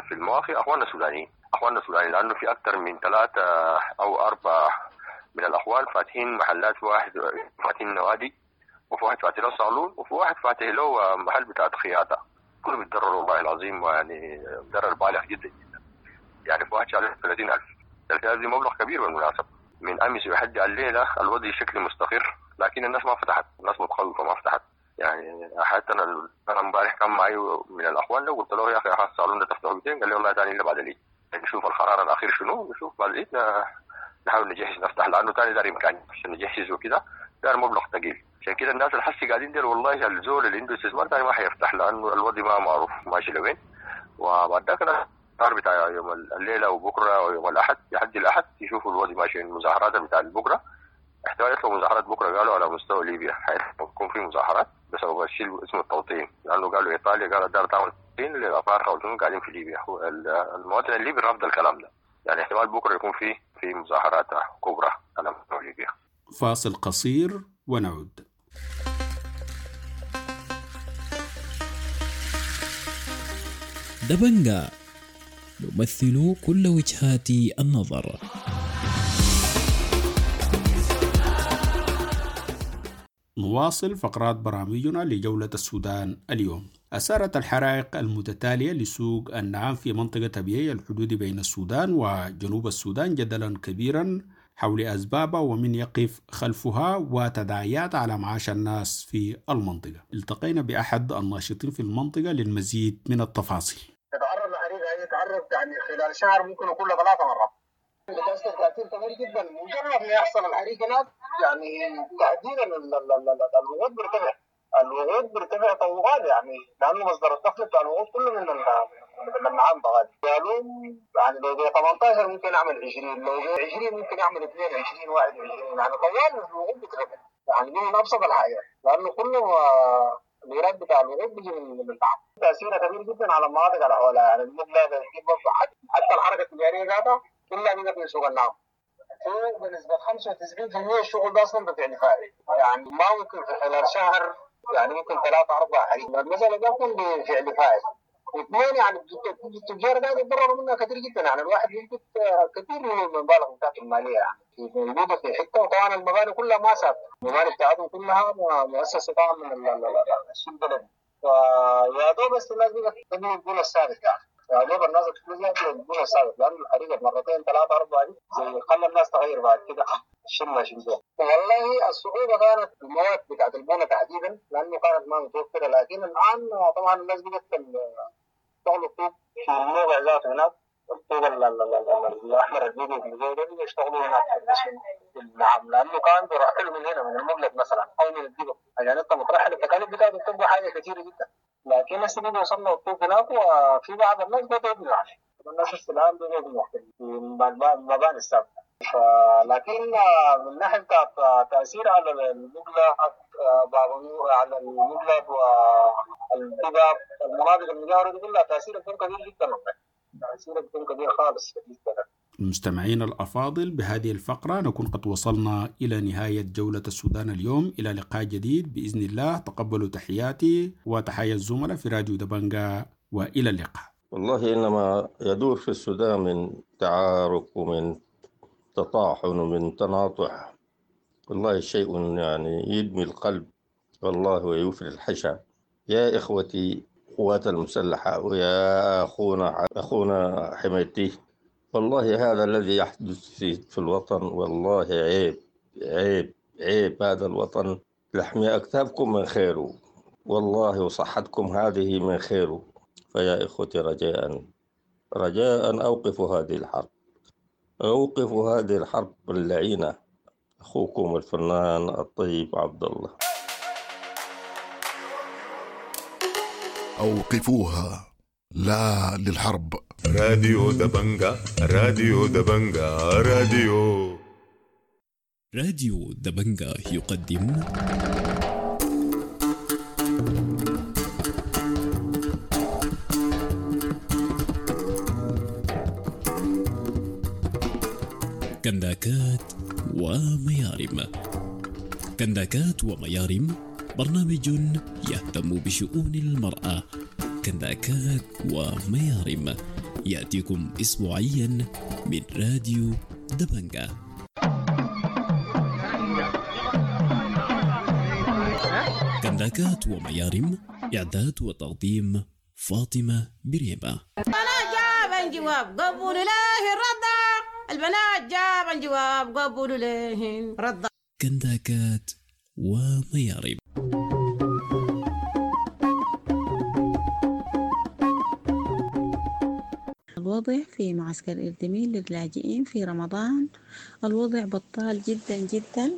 في المواقع أخواننا السودانيين، أخواننا السودانيين، لأنه في أكثر من 3 أو 4 من الأخوان فاتحين محلات، واحد فاتحين نوادي، وفي واحد فاتح له صالون، وفي واحد فاتح له محل بتاع خياطة. كلهم بيتضرروا والله العظيم، يعني ضرر بالغ جدا جدا. يعني في واحد شال 30,000، 30,000 دي مبلغ كبير بالمناسبة. من أمس لحد الليلة الوضع شكل مستقر، لكن الناس ما فتحت، الناس متخوفة ما فتحت. يعني حتى انا امبارح كان معي من الاخوان، لو قلت له يا اخي الصالون ده تفتحه 200، قال لي والله ثاني الا بعد العيد، نشوف القرار الاخير شنو، نشوف بعد العيد نحاول نجهز نفتح، لانه ثاني داري امكانيه عشان نجهز وكده، دار مبلغ ثقيل. عشان كده الناس الحسي قاعدين دير والله الزول اللي عنده استثمار ثاني ما حيفتح، لانه الوضع ما معروف ماشي لوين. وبعد ذاك القرار بتاع يوم الليله وبكره ويوم الاحد، لحد الاحد يشوفوا الوضع ماشي. المظاهرات بتاع بكره احتمال يطلعوا مظاهرات بكره، قالوا على مستوى ليبيا حيكون في مظاهرات بسبب الشيء اسمه التوطين، لانه قالوا ايطاليا قالت دار تعمل توطين للافارقه والجنود قاعدين في ليبيا. المواطن الليبي رفض الكلام ده، يعني احتمال بكره يكون في مظاهرات كبرى على مستوى ليبيا. فاصل قصير ونعود. دبنجا نمثل كل وجهات النظر. نواصل فقرات برامجنا لجولة السودان اليوم. أثارت الحرائق المتتالية لسوق النعام في منطقة أبيي الحدود بين السودان وجنوب السودان جدلا كبيرا حول أسبابها ومن يقف خلفها وتداعيات على معاش الناس في المنطقة. التقينا بأحد الناشطين في المنطقة للمزيد من التفاصيل. تتعرض لحريقة هي تعرض بتكرر يعني خلال شهر ممكن يكون 3 مرات. بتأثر تأثير كبير جدا، مجرد ما يحصل الحريق هناك يعني تحديدا الوقود بيرتفع، الوقود بيرتفع طوال يعني، لأنه مصدر الدخل بتاع الوقود كله من النعام طوال. قالوا يعني لو ب 18 ممكن أعمل 20، لو ب 20 ممكن أعمل 22 21، يعني طوال الوقود بيترفع، يعني دي من أبسط الحاجات، لأنه كله الإيراد بتاع الوقود بيجي من النعام. تأثيرها كبير جدا على المناطق اللي حولها، يعني المبلغ حتى الحركة التجارية ذاتها كلها بقت من سوق النعام. فوق بنسبة 95% الشغل ده أصلا بفعل فاعل، يعني ما ممكن في خلال شهر يعني ممكن 3 4 حريق، المسألة ده ممكن بفعل فاعل. اثنين يعني التجار ده يتضرروا منها كثير جدا، يعني الواحد يمكن كثير من المبالغ بتاعته المالية يعني موجودة في حتة، وطبعا المباني كلها ما ثابتة، المباني بتاعتهم كلها مؤسسة طبعا من السوق البلدي، فيا دوب بس الناس بقت تبني البنى الثابت، يعني يا دوب الناس بتبني البنى الثابت، لأنه الحريقة مرتين 3 4 دي زي خلى الناس تغير بعد كده شلة شلة. والله الصعوبة كانت المواد بتاعت البنى تحديدا، لأنه كانت ما متوفرة، لكن الآن طبعا الناس بقت يشتغلوا الطوب في الموقع ذاته هناك، الطوب الأحمر البيض ده يشتغلوا هناك في النعم، لأنه كان بيرحلوا من هنا من المبلغ مثلا أو من الدبا، عشان أنت مترحل التكاليف بتاعته بتبقى حاجة كثيرة جدا، لكن هسه بقى وصلنا الطوب هناك، وفي بعض الناس بدأوا يبنوا، يعني الناس الآن بدأوا يبنوا في المباني السابقة. لكن من ناحية بتاعت تأثير على المبلغ على المبلغ والدباب المناطق المجاورة دي كلها تأثير بيكون كبير جدا، تأثير بيكون كبير خالص بالنسبة لنا. المستمعين الأفاضل، بهذه الفقرة نكون قد وصلنا إلى نهاية جولة السودان اليوم. إلى لقاء جديد بإذن الله. تقبلوا تحياتي وتحيا الزملاء في راديو دبنجا، وإلى اللقاء. والله إنما يدور في السودان من تعارك ومن تطاحن ومن تناطح، والله شيء يعني يدمي القلب والله ويفري الحشا. يا إخوتي قوات المسلحة ويا أخونا حميدتي، والله هذا الذي يحدث في الوطن والله عيب عيب عيب. هذا الوطن لحم أكتافكم من خيره والله، وصحتكم هذه من خيره. فيا إخوتي رجاء رجاء أوقفوا هذه الحرب، أوقفوا هذه الحرب اللعينة. أخوكم الفنان الطيب عبد الله. أوقفوها، لا للحرب. راديو دبنجا، راديو دبنجا، راديو دبنجا يقدم كنداكات وميارم. كنداكات وميارم برنامج يهتم بشؤون المرأة. كنداكات وميارم يأتيكم أسبوعيا من راديو دبنجا. كنداكات وميارم، إعداد وتقديم فاطمة بريمة. البنات جاب الجواب قبولوا له الرضا، البنات جاب الجواب قبولوا له الرضا. كنداكات وميارم. الوضع في معسكر إردميل للاجئين في رمضان الوضع بطال جدا جدا.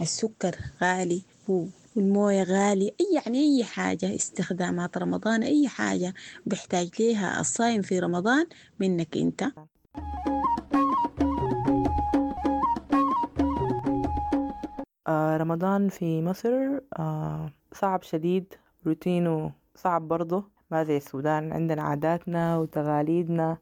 السكر غالي والموية غالي، يعني أي حاجة استخدامات رمضان، أي حاجة بيحتاج ليها الصايم في رمضان منك أنت. رمضان في مصر صعب شديد، روتينه صعب برضه، ما زي السودان، عندنا عاداتنا وتقاليدنا.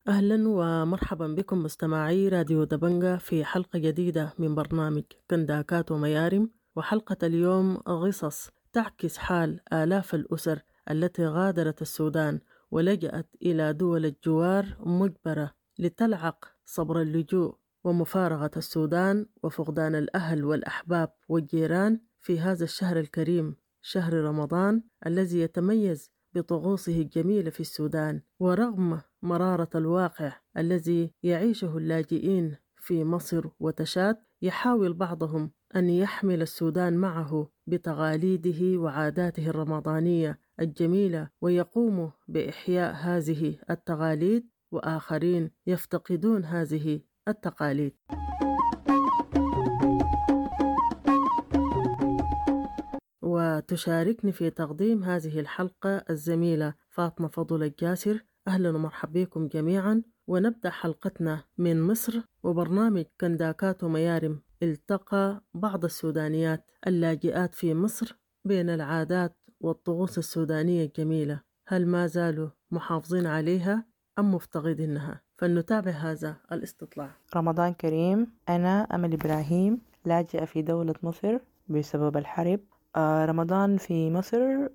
أهلا ومرحبا بكم مستمعي راديو دبنجا في حلقة جديدة من برنامج كنداكات وميارم. وحلقة اليوم قصص تعكس حال آلاف الأسر التي غادرت السودان ولجأت إلى دول الجوار مجبرة لتلعق صبر اللجوء ومفارقة السودان وفقدان الأهل والأحباب والجيران في هذا الشهر الكريم، شهر رمضان الذي يتميز بطقوسه الجميلة في السودان، ورغم مرارة الواقع الذي يعيشه اللاجئين في مصر وتشاد، يحاول بعضهم أن يحمل السودان معه بتقاليده وعاداته الرمضانية الجميلة ويقوم بإحياء هذه التقاليد، وآخرين يفتقدون هذه التقاليد. وتشاركني في تقديم هذه الحلقة الزميلة فاطمة فضل الجاسر. أهلا ومرحبا بكم جميعا، ونبدأ حلقتنا من مصر وبرنامج كنداكات وميارم. التقى بعض السودانيات اللاجئات في مصر بين العادات والطقوس السودانية الجميلة، هل ما زالوا محافظين عليها أم مفتقدينها؟ فلنتابع هذا الاستطلاع. رمضان كريم. أنا أمل إبراهيم، لاجئة في دولة مصر بسبب الحرب. رمضان في مصر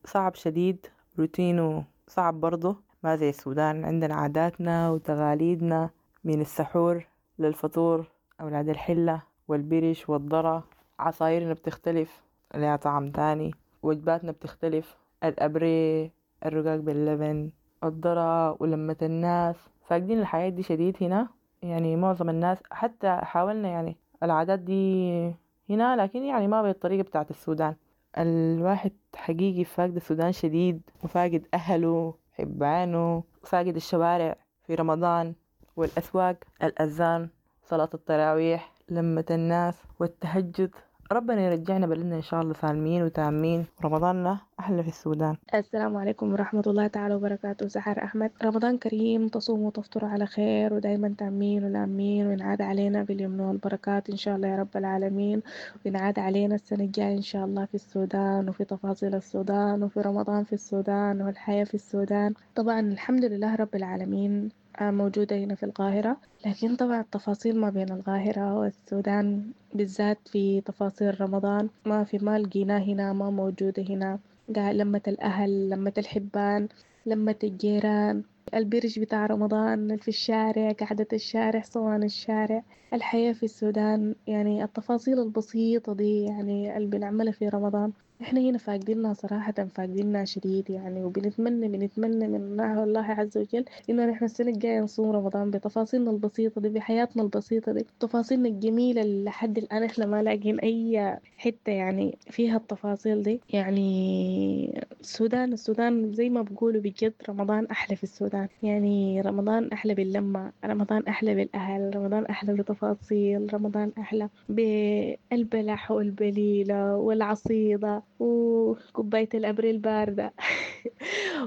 صعب شديد، روتينه صعب برضه، ما زي السودان. عندنا عاداتنا وتقاليدنا من السحور للفطور، أولاد الحلة والبرش والذرة، عصايرنا بتختلف لها طعم تاني، وجباتنا بتختلف، الأبري، الرقاق باللبن، الذرة، ولمة الناس. فاقدين الحياة دي شديد هنا، يعني معظم الناس حتى حاولنا يعني العادات دي هنا، لكن يعني ما بالطريقة بتاعت السودان. الواحد حقيقي فاقد السودان شديد، وفاقد أهله، حبانه، فاقد الشوارع في رمضان والأسواق، الأذان، صلاة التراويح، لمة الناس والتهجد. ربنا يرجعنا بلدنا إن شاء الله سالمين وتامين. رمضاننا أحلى في السودان. السلام عليكم ورحمة الله تعالى وبركاته. سحر أحمد. رمضان كريم، تصوم وتفطر على خير، ودايما تامين ولامين، وينعاد علينا باليمن والبركات إن شاء الله يا رب العالمين، وينعاد علينا السنة الجاية إن شاء الله في السودان، وفي تفاصيل السودان، وفي رمضان في السودان، والحياة في السودان. طبعا الحمد لله رب العالمين موجودة هنا في القاهرة، لكن طبعا التفاصيل ما بين القاهرة والسودان بالذات في تفاصيل رمضان ما لقيناه هنا، ما موجودة هنا. لمة الأهل، لمة الحبان، لمة الجيران، البرج بتاع رمضان في الشارع، قعدة الشارع، صوان الشارع، الحياة في السودان. يعني التفاصيل البسيطة دي يعني اللي بنعملها في رمضان احنا هنا فاقدينها صراحة، فاقدينها شديد يعني. وبنتمنى بنتمنى من الله عز وجل انه نحن السنة الجاية نصوم رمضان بتفاصيلنا البسيطة دي، بحياتنا البسيطة دي، تفاصيلنا الجميلة اللي لحد الآن احنا ما لاقين اي حتة يعني فيها التفاصيل دي. يعني السودان زي ما بقولوا بجد رمضان أحلى في السودان. يعني رمضان أحلى باللمة، رمضان أحلى بالأهل، رمضان أحلى بتفاصيل، رمضان أحلى بالبلح والبليلة والعصيدة وكوباية الأبريل الباردة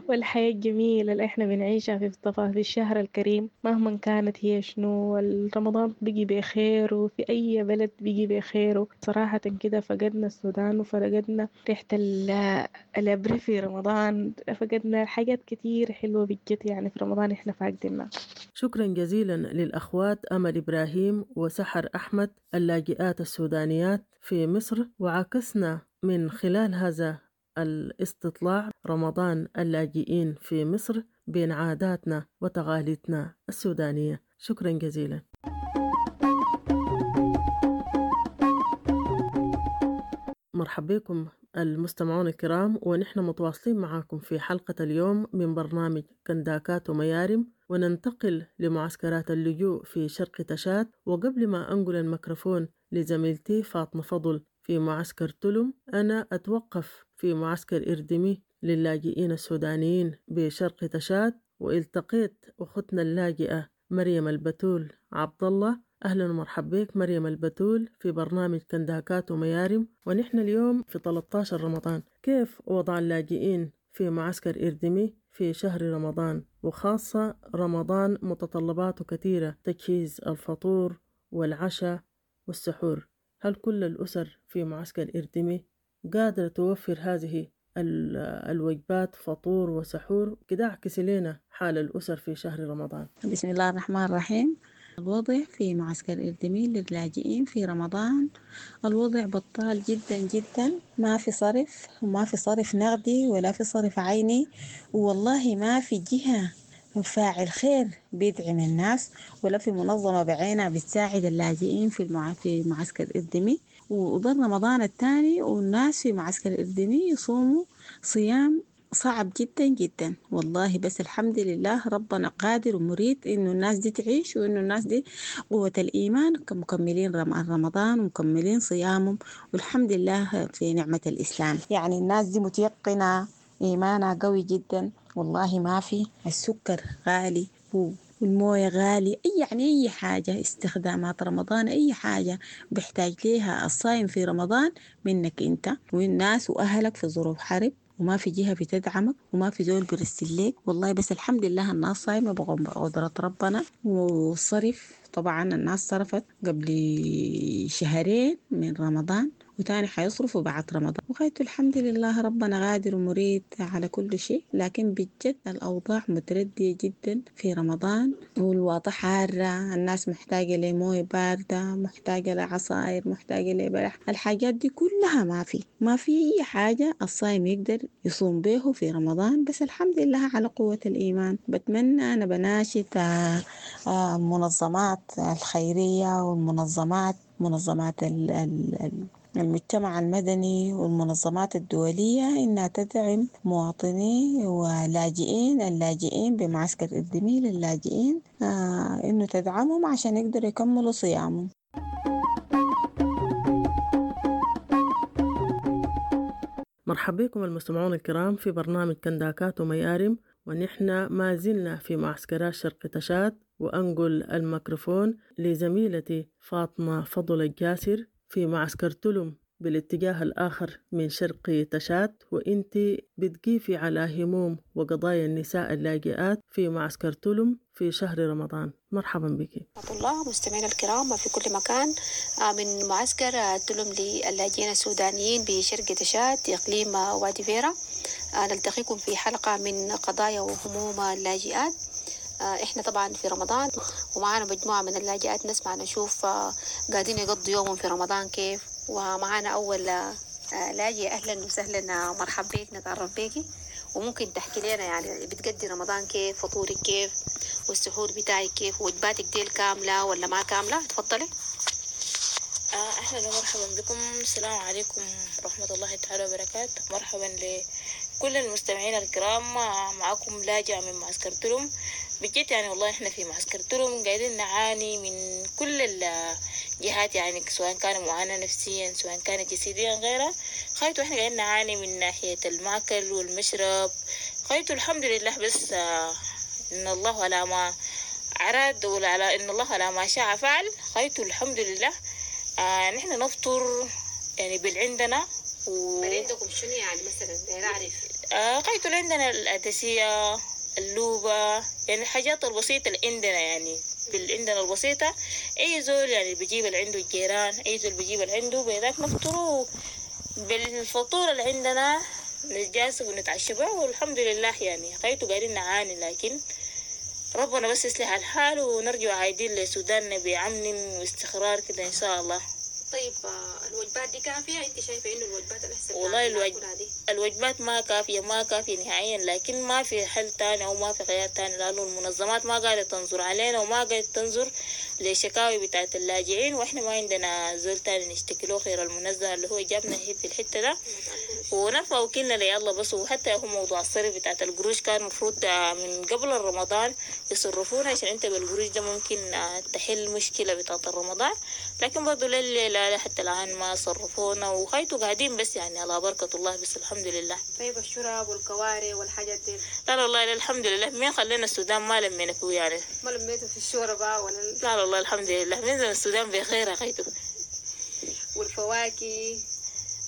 والحياة الجميلة اللي احنا بنعيشها في الشهر الكريم مهما كانت هي شنو. رمضان بيجي بخير، وفي أي بلد بيجي بخير. صراحة كده فقدنا السودان، وفقدنا ريحة الأبريل في رمضان، فقدنا حاجات كتير حلوة بجد يعني في رمضان احنا فاقدينها. شكرا جزيلا للأخوات أمل إبراهيم وسحر أحمد اللاجئات السودانيات في مصر، وعكسنا من خلال هذا الاستطلاع رمضان اللاجئين في مصر بين عاداتنا وتقاليدنا السودانية. شكرا جزيلا. مرحبا بكم المستمعون الكرام، ونحن متواصلين معاكم في حلقة اليوم من برنامج كنداكات وميارم، وننتقل لمعسكرات اللجوء في شرق تشاد. وقبل ما أنقل الميكروفون لزميلتي فاطمة فضل في معسكر تلم، أنا أتوقف في معسكر إردمي للاجئين السودانيين بشرق تشاد، والتقيت أختنا اللاجئة مريم البتول عبد الله. أهلا ومرحبا بك مريم البتول في برنامج كنداكات وميارم. ونحن اليوم في 13 رمضان، كيف وضع اللاجئين في معسكر إردمي في شهر رمضان، وخاصة رمضان متطلباته كثيرة، تجهيز الفطور والعشاء والسحور. هل كل الأسر في معسكر إردمي قادرة توفر هذه الوجبات فطور وسحور؟ كده اعكس لنا حال الأسر في شهر رمضان. بسم الله الرحمن الرحيم. الوضع في معسكر إردمي للاجئين في رمضان الوضع بطال جدا جدا، ما في صرف، وما في صرف نقدي ولا في صرف عيني، والله ما في جهة فاعل خير بيدعم الناس، ولا في منظمة بعينها بتساعد اللاجئين في معسكر إردمي. وضل رمضان الثاني والناس في معسكر إردمي يصوموا صيام صعب جدا جدا والله. بس الحمد لله ربنا قادر ومريد إنه الناس دي تعيش، وإنه الناس دي قوة الإيمان، مكملين رمضان ومكملين صيامهم، والحمد لله في نعمة الإسلام. يعني الناس دي متيقنة، إيمانها قوي جدا والله. ما في السكر غالي والموية غالي، أي يعني أي حاجة استخدامات رمضان، أي حاجة بيحتاج ليها الصايم في رمضان منك أنت والناس وأهلك في ظروف حرب، وما في جهة بتدعمك وما في زول بيرسل لك والله. بس الحمد لله الناس صايمة بقدرة ربنا. وصرف طبعا الناس صرفت قبل شهرين من رمضان، وتاني حيصرفوا بعد رمضان. وغايته الحمد لله ربنا قادر ومريد على كل شيء. لكن بجد الأوضاع متردية جدا في رمضان، والوضع حارة، الناس محتاجة لموية باردة، محتاجة لعصاير، محتاجة لبلح، الحاجات دي كلها ما في أي حاجة الصايم يقدر يصوم به في رمضان. بس الحمد لله على قوة الإيمان. بتمنى أنا بناشد المنظمات الخيرية والمنظمات منظمات المجتمع المدني والمنظمات الدولية إنها تدعم مواطني ولاجئين اللاجئين بمعسكر إردميل اللاجئين، إنه تدعمهم عشان يقدروا يكملوا صيامهم. مرحبا بكم المستمعون الكرام في برنامج كنداكات وميارم، ونحن ما زلنا في معسكرات شرق تشاد. وأنقل الميكروفون لزميلتي فاطمة فضل الجاسر في معسكر تلم بالاتجاه الآخر من شرق تشاد، وإنت بتقيفي على هموم وقضايا النساء اللاجئات في معسكر تلم في شهر رمضان. مرحبا بك. ورحمة الله مستمعينا الكرام في كل مكان، من معسكر تلم للاجئين السودانيين بشرق تشاد إقليم وادي فيرا، نلتقيكم في حلقة من قضايا وهموم اللاجئات. احنا طبعا في رمضان ومعانا مجموعة من اللاجئات، نسمع نشوف قاعدين يقضوا يومهم في رمضان كيف. ومعانا أول لاجئة، أهلا وسهلا، مرحبا بك، نتعرف بيكي وممكن تحكي لنا يعني بتقضي رمضان كيف، فطورك كيف، والسحور بتاعك كيف، وجباتك ديل كاملة ولا ما كاملة؟ تفضلي. أهلا ومرحبا بكم، السلام عليكم ورحمة الله تعالى وبركاته. مرحبا لكل المستمعين الكرام، معكم لاجئة من معسكر تلم. بجد يعني والله احنا في معسكر تلم قاعدين نعاني من كل الجهات، يعني سواء كان معاناة نفسيا سواء كان جسديا غيرها. خايتو احنا قاعدين نعاني من ناحية المأكل والمشرب. خايتو الحمد لله، بس ان الله على ما أراد وعلى ان الله على ما شاء فعل. خايتو الحمد لله نحن نفطر يعني بالعندنا عندكم شنو يعني مثلا؟ نعرف خايتو عندنا الأدسية، اللوبة، يعني الحاجات البسيطة اللي عندنا، يعني باللي عندنا البسيطة. أي زول يعني بيجيب اللي عنده الجيران، أي زول بيجيب اللي عنده بذاك نفطره بالفطور اللي عندنا، نتجاسب ونتعشى به والحمد لله. يعني خايتو قاعدين نعاني، لكن ربنا بس يصلح الحال ونرجع عايدين لسوداننا بأمن واستقرار كده إن شاء الله. طيب الوجبات دي كافية؟ انت شايفة انه الوجبات الاحسن؟ والله الوجبات ما كافية، ما كافية نهائيا، لكن ما في حل تاني او ما في خيار تاني، لانه المنظمات ما قاعدة تنظر علينا وما قاعدة تنظر لشكاوي بتاعت اللاجئين، واحنا ما عندنا زول تاني نشتكي له غير المنزه اللي هو جابنا في الحتة ده ونرفع وكلنا لي الله بس. وحتى هو موضوع الصرف بتاعت القروش كان مفروض من قبل رمضان يصرفونا، عشان انت بالقروش ده ممكن تحل مشكلة بتاعت الرمضان، لكن برضو لا حتى الآن ما صرفونا وخايتوا قاعدين بس يعني على بركة الله بس الحمد لله. طيب الشراب والكواري والحاجات دي؟ لا والله الحمد لله، مين خلينا السودان ما لمينا فيه يعني. ما لميتوا في الشوربة ولا؟ لا والله الحمد لله، من زمن السودان بخير خيتو. والفواكه؟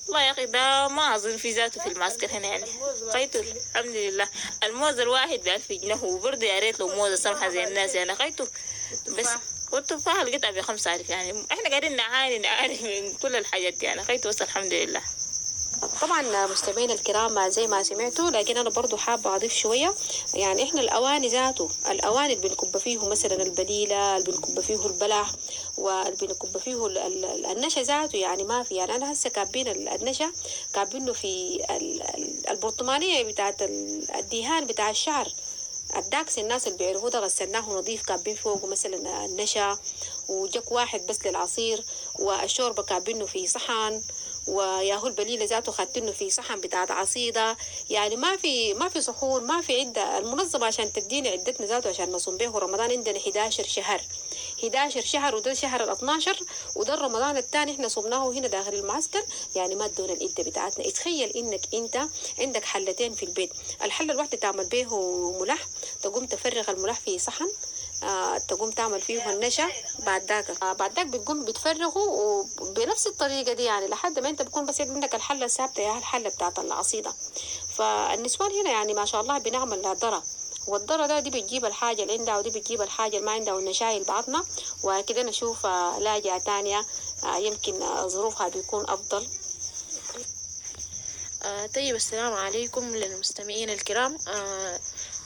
والله يا أخي ده ما أظن في ذاته في المعسكر هنا يعني. خيتو الحمد لله الموز الواحد ب1000 جنيه، وبرضه يا ريت لو موزة سمحة زي الناس يعني خيتو بس. والتفاح القطعة ب5000 يعني احنا قاعدين نعاني من كل الحاجات دي يعني خيتو بس الحمد لله. طبعا مستمعينا الكرام زي ما سمعتوا، لكن انا برضو حابه اضيف شويه. يعني احنا الاواني ذاته، الاواني اللي بنكب فيه مثلا البليله، اللي بنكب فيه البلح، واللي بنكب فيه النشا ذاته يعني ما في. يعني انا هسه كابين النشا كابينه في البرطمانيه بتاعت الدهان بتاع الشعر الداكس، الناس اللي بيعرفوه ده غسلناه نظيف، كابين فوقه مثلا النشا وجك واحد بس للعصير، والشوربه كابينه في صحن، وياهو البليله ذاته خاتينه في صحن بتاعت عصيده. يعني ما في صحون، ما في عده. المنظمة عشان تدينا عدتنا ذاته عشان نصوم به رمضان عندنا 11 شهر، 11 شهر، وده شهر 12، وده رمضان الثاني احنا صمناه هنا داخل المعسكر. يعني ما ادونا العدة بتاعتنا. اتخيل انك انت عندك حلتين في البيت، الحلة الواحدة تعمل به ملح، تقوم تفرغ الملح في صحن، تقوم تعمل فيه النشا، بعد ذاك بتقوم بتفرغه وبنفس الطريقة دي، يعني لحد ما انت بكون بس عندك الحلة الثابتة يا الحلة بتاعت العصيده. فالنسوان هنا يعني ما شاء الله بنعمل ذره، والذرة ده دي بتجيب الحاجة اللي عندها ودي بتجيب الحاجة اللي ما عندها، ونشايل بعضنا وكده. نشوف لاجئه تانية يمكن ظروفها بيكون افضل. طيب، السلام عليكم للمستمعين الكرام.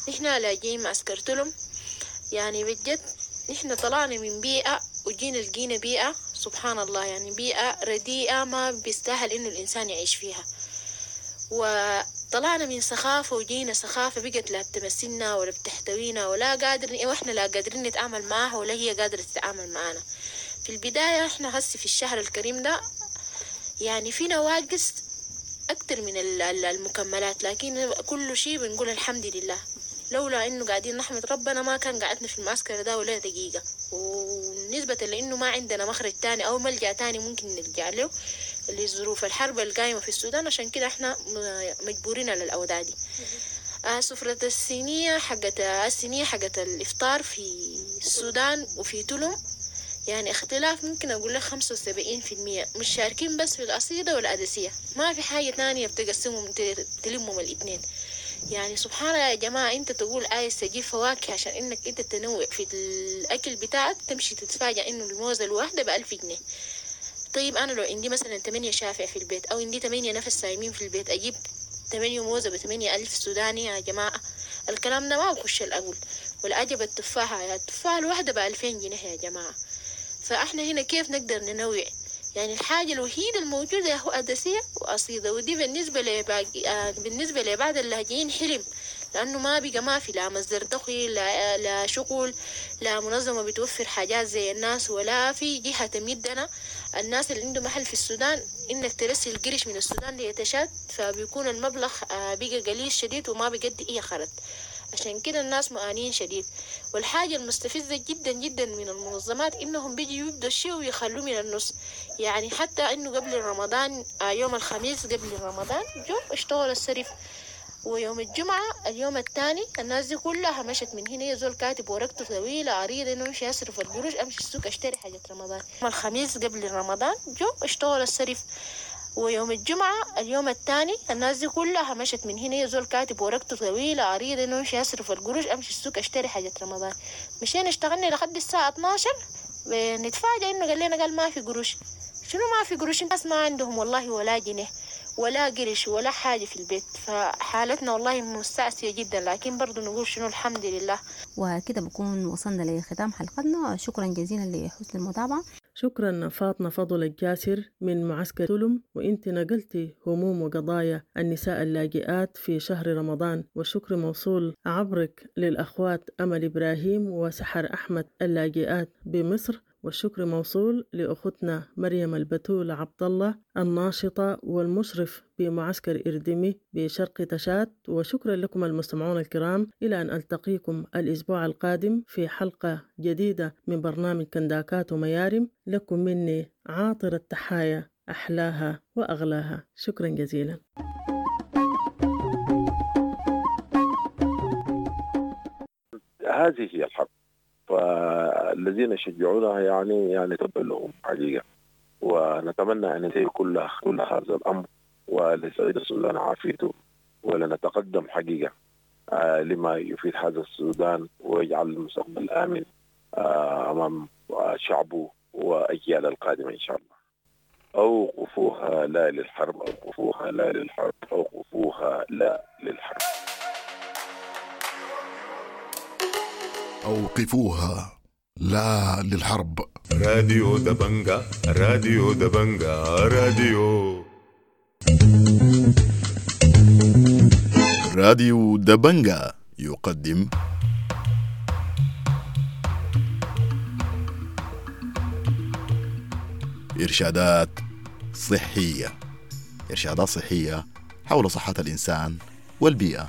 نحن لاجئين معسكر تلم. يعني بجد نحن طلعنا من بيئة وجينا لقينا بيئة سبحان الله، يعني بيئة رديئة ما بيستاهل إنه الإنسان يعيش فيها. وطلعنا من سخافة وجينا سخافة بقت لا بتمثلنا ولا بتحتوينا ولا قادر، وإحنا لا قادرين نتعامل معها ولا هي قادرة تتعامل معنا. في البداية إحنا هسي في الشهر الكريم ده يعني في نواقص أكتر من المكملات، لكن كل شيء بنقول الحمد لله. لولا إنه قاعدين نحمد ربنا ما كان قعدنا في المعسكر ده ولا دقيقة. ونسبة لإنه ما عندنا مخرج تاني أو ملجأ تاني ممكن نرجع له لظروف الحرب القايمة في السودان، عشان كده إحنا مجبورين على الأوضاع دي. سفرة الصينية حقت الإفطار في السودان وفي تلم يعني اختلاف ممكن أقول لك 75%، مش شاركين بس في القصيدة والأدسية، ما في حاجة تانية بتقسمهم تلمهم الاثنين. يعني سبحان الله يا جماعة، انت تقول عايز تجيب فواكه عشان انك انت تنوع في الاكل بتاعك، تمشي تتفاجأ انه الموزة الواحدة ب1000 جنيه. طيب انا لو عندي مثلا 8 شافع في البيت او عندي 8 نفس صايمين في البيت، اجيب 8 موزة ب8,000 سوداني يا جماعة؟ الكلام ده ما بخش الأقول. والعجب التفاحة، يا التفاحة الواحدة ب2000 جنيه يا جماعة. فاحنا هنا كيف نقدر ننوع؟ يعني الحاجة الوحيدة الموجودة هو أدسية وقصيدة، ودي بالنسبة لبعض اللاجئين حلم، لأنه ما بقى ما في لا مصدر دخل لا شغل لا منظمة بتوفر حاجات زي الناس، ولا في جهة تمدنا. الناس اللي عنده محل في السودان إنك ترسل قرش من السودان ليتشاد، فبيكون المبلغ بقى قليل شديد وما بيقدي أي خرط. عشان كده الناس معانين شديد. والحاجة المستفزة جدا جدا من المنظمات إنهم بيجي يبدوا الشيء ويخلوه من النص. يعني حتى إنه قبل رمضان، يوم الخميس قبل رمضان جو اشتغل الصرف، ويوم الجمعة اليوم الثاني الناس دي كلها مشت من هنا. يزول كاتب ورقته طويلة عريضة إنه امشي أصرف القروش، أمشي السوق أشتري حاجة رمضان. يوم الخميس قبل رمضان جو اشتغل الصرف، ويوم الجمعة اليوم الثاني الناس دي كلها مشت من هنا. يزول كاتب ورقته طويلة عريضة إنه امشي أصرف القروش، أمشي السوق أشتري حاجة رمضان. مشينا اشتغلنا لحد الساعة 12، نتفاجأ إنه قال لنا قال ما في قروش. شنو ما في قروش؟ الناس ما عندهم والله ولا جنيه ولا قرش ولا حاجة في البيت. فحالتنا والله مستعصية جدا، لكن برضو نقول شنو الحمد لله. وكده بكون وصلنا لختام حلقتنا. شكرا جزيلا لحسن المتابعة. شكرا فاطمة فضل الجاسر من معسكر تلم، وانت نقلتي هموم وقضايا النساء اللاجئات في شهر رمضان، والشكر موصول عبرك للأخوات أمل إبراهيم وسحر أحمد اللاجئات بمصر، والشكر موصول لأختنا مريم البتول عبد الله الناشطة والمشرف بمعسكر إردمي بشرق تشاد. وشكرا لكم المستمعون الكرام، إلى أن ألتقيكم الأسبوع القادم في حلقة جديدة من برنامج كنداكات وميارم. لكم مني عاطر التحايا أحلاها وأغلاها. شكرا جزيلا. هذه هي الحرب، فالذين يشجعونها يعني تبا لهم حقيقة، ونتمنى أن ينتهي كل هذا الأمر وليسعيد السودان عافيته، ولنتقدم حقيقة لما يفيد هذا السودان ويجعل المستقبل آمن أمام شعبه وأجيال القادمة إن شاء الله. أوقفوها لا للحرب، أوقفوها لا للحرب، أوقفوها لا للحرب. أوقفوها لا للحرب. راديو دبنجا، راديو دبنجا، راديو راديو دبنجا يقدم إرشادات صحية. إرشادات صحية حول صحة الإنسان والبيئة.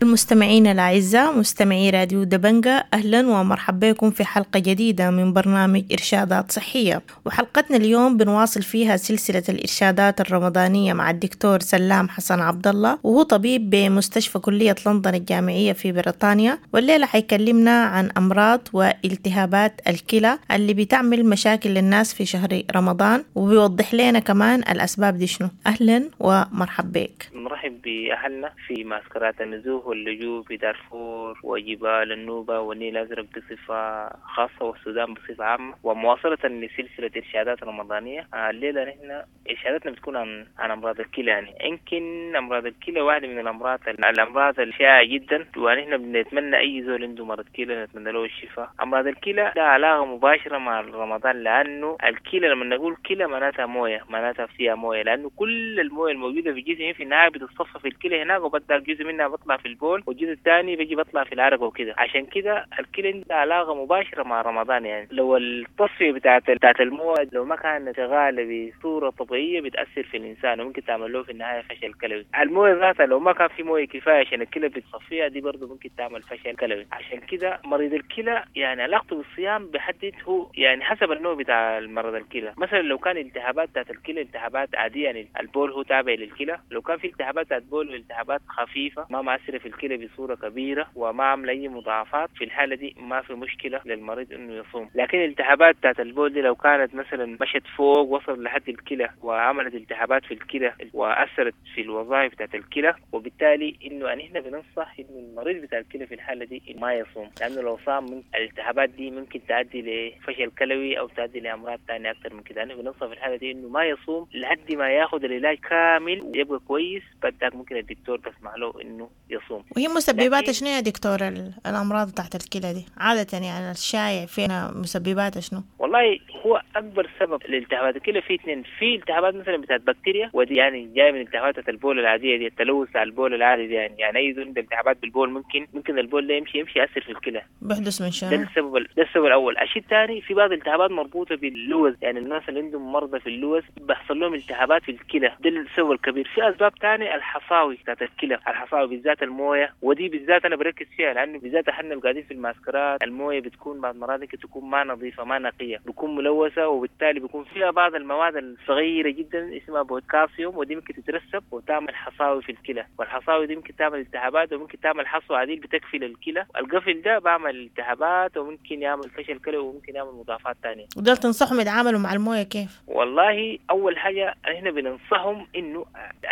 المستمعين الأعزاء، مستمعي راديو دبنجة، أهلا ومرحبا بكم في حلقة جديدة من برنامج إرشادات صحية. وحلقتنا اليوم بنواصل فيها سلسلة الإرشادات الرمضانية مع الدكتور سلام حسن عبد الله، وهو طبيب بمستشفى كلية لندن الجامعية في بريطانيا. والليلة حيكلمنا عن أمراض والتهابات الكلى اللي بتعمل مشاكل للناس في شهر رمضان، وبيوضح لنا كمان الأسباب دي شنو. أهلا ومرحبا بك. نرحب بأهلنا في معسكرات النزوح واللجوء في دارفور وجبال النوبة والنيل الأزرق بصفة خاصة والسودان بصفة عامة، ومواصلة لسلسلة إرشادات رمضانية. الليلة نحن إرشاداتنا بتكون عن أمراض الكلى. يعني يمكن أمراض الكلى واحدة من الأمراض الشائعة جدا، ونحن بنتمنى أي زول عنده مرض كلى نتمنى له الشفاء. أمراض الكلى لها علاقة مباشرة مع رمضان، لأنه الكلى لما نقول كلى معناتها موية، معناتها فيها موية، لأنه كل الموية الموجودة في الجسم في النهاية بتتصفى في الكلى هناك، وبدأ جزء منها بطلع في البول والجزء الثاني بيجي بطلع في العرق وكده. عشان كده الكلى عندها علاقة مباشرة مع رمضان. يعني لو التصفية بتاعت المويه لو ما كانت شغالة بصورة طبيعية بتأثر في الإنسان وممكن تعمل له في النهاية فشل كلوي. المويه ذاتها لو ما كان في مويه كفاية عشان الكلى بتصفيها دي برضه ممكن تعمل فشل كلوي. عشان كده مريض الكلى يعني علاقته بالصيام بحدد هو يعني حسب النوع بتاع المرض الكلى. مثلا لو كان التهابات بتاعت الكلى التهابات عادية، يعني البول هو تابع للكلى، لو كان في التهابات بتاعت بول والتهابات خفيفة ما مأثرة في الكلى بصورة كبيرة وما عاملة أي مضاعفات، في الحالة دي ما في مشكلة للمريض إنه يصوم. لكن الالتهابات بتاعت البول دي لو كانت مثلا مشت فوق وصل لحد الكلى وعملت التهابات في الكلى وأثرت في الوظائف بتاعت الكلى، وبالتالي إنه نحن بننصح إنه المريض بتاع الكلى في الحالة دي ما يصوم، لأنه لو صام من الالتهابات دي ممكن تؤدي لفشل كلوي أو تؤدي لأمراض ثانية أكثر من كده. نحن بننصح في الحالة دي إنه ما يصوم لحد ما ياخذ العلاج كامل ويبقى كويس، بعد ممكن الدكتور بسمح له إنه يصوم. وهي مسببات شنو يا دكتور الأمراض تحت الكلى دي عادة؟ يعني الشائع فينا مسببات شنو؟ والله هو أكبر سبب لالتهابات الكلى في اثنين، في التهابات مثلا بتاعت بكتيريا، ودي يعني جاية من التهابات البول العادية دي، التلوث على البول العادي دي، يعني أي زول عنده التهابات بالبول ممكن البول ده يمشي يأثر في الكلى. بيحدث من شنو؟ ده السبب الأول. الشيء الثاني في بعض الالتهابات مربوطة باللوز، يعني الناس اللي عندهم مرضى في اللوز بيحصل لهم التهابات في الكلى، ده السبب الكبير. في أسباب ثانية الحصاوي بتاعت الكلى، الحصاوي بالذات المويه، ودي بالذات انا بركز فيها لانه بالذات احنا اللي قاعدين في المعسكرات المويه بتكون بعض مرات تكون ما نظيفة ما نقية، بتكون ملوثة، وبالتالي بيكون فيها بعض المواد الصغيرة جدا اسمها بوتاسيوم، ودي ممكن تترسب وتعمل حصاوي في الكلى، والحصاوي دي ممكن تعمل التهابات وممكن تعمل حصوه عديل بتكفل الكلى، القفل ده بعمل التهابات وممكن يعمل فشل كلوي وممكن يعمل مضاعفات ثانية. ودول تنصحهم يتعاملوا مع المويه كيف؟ والله اول حاجة احنا بننصحهم انه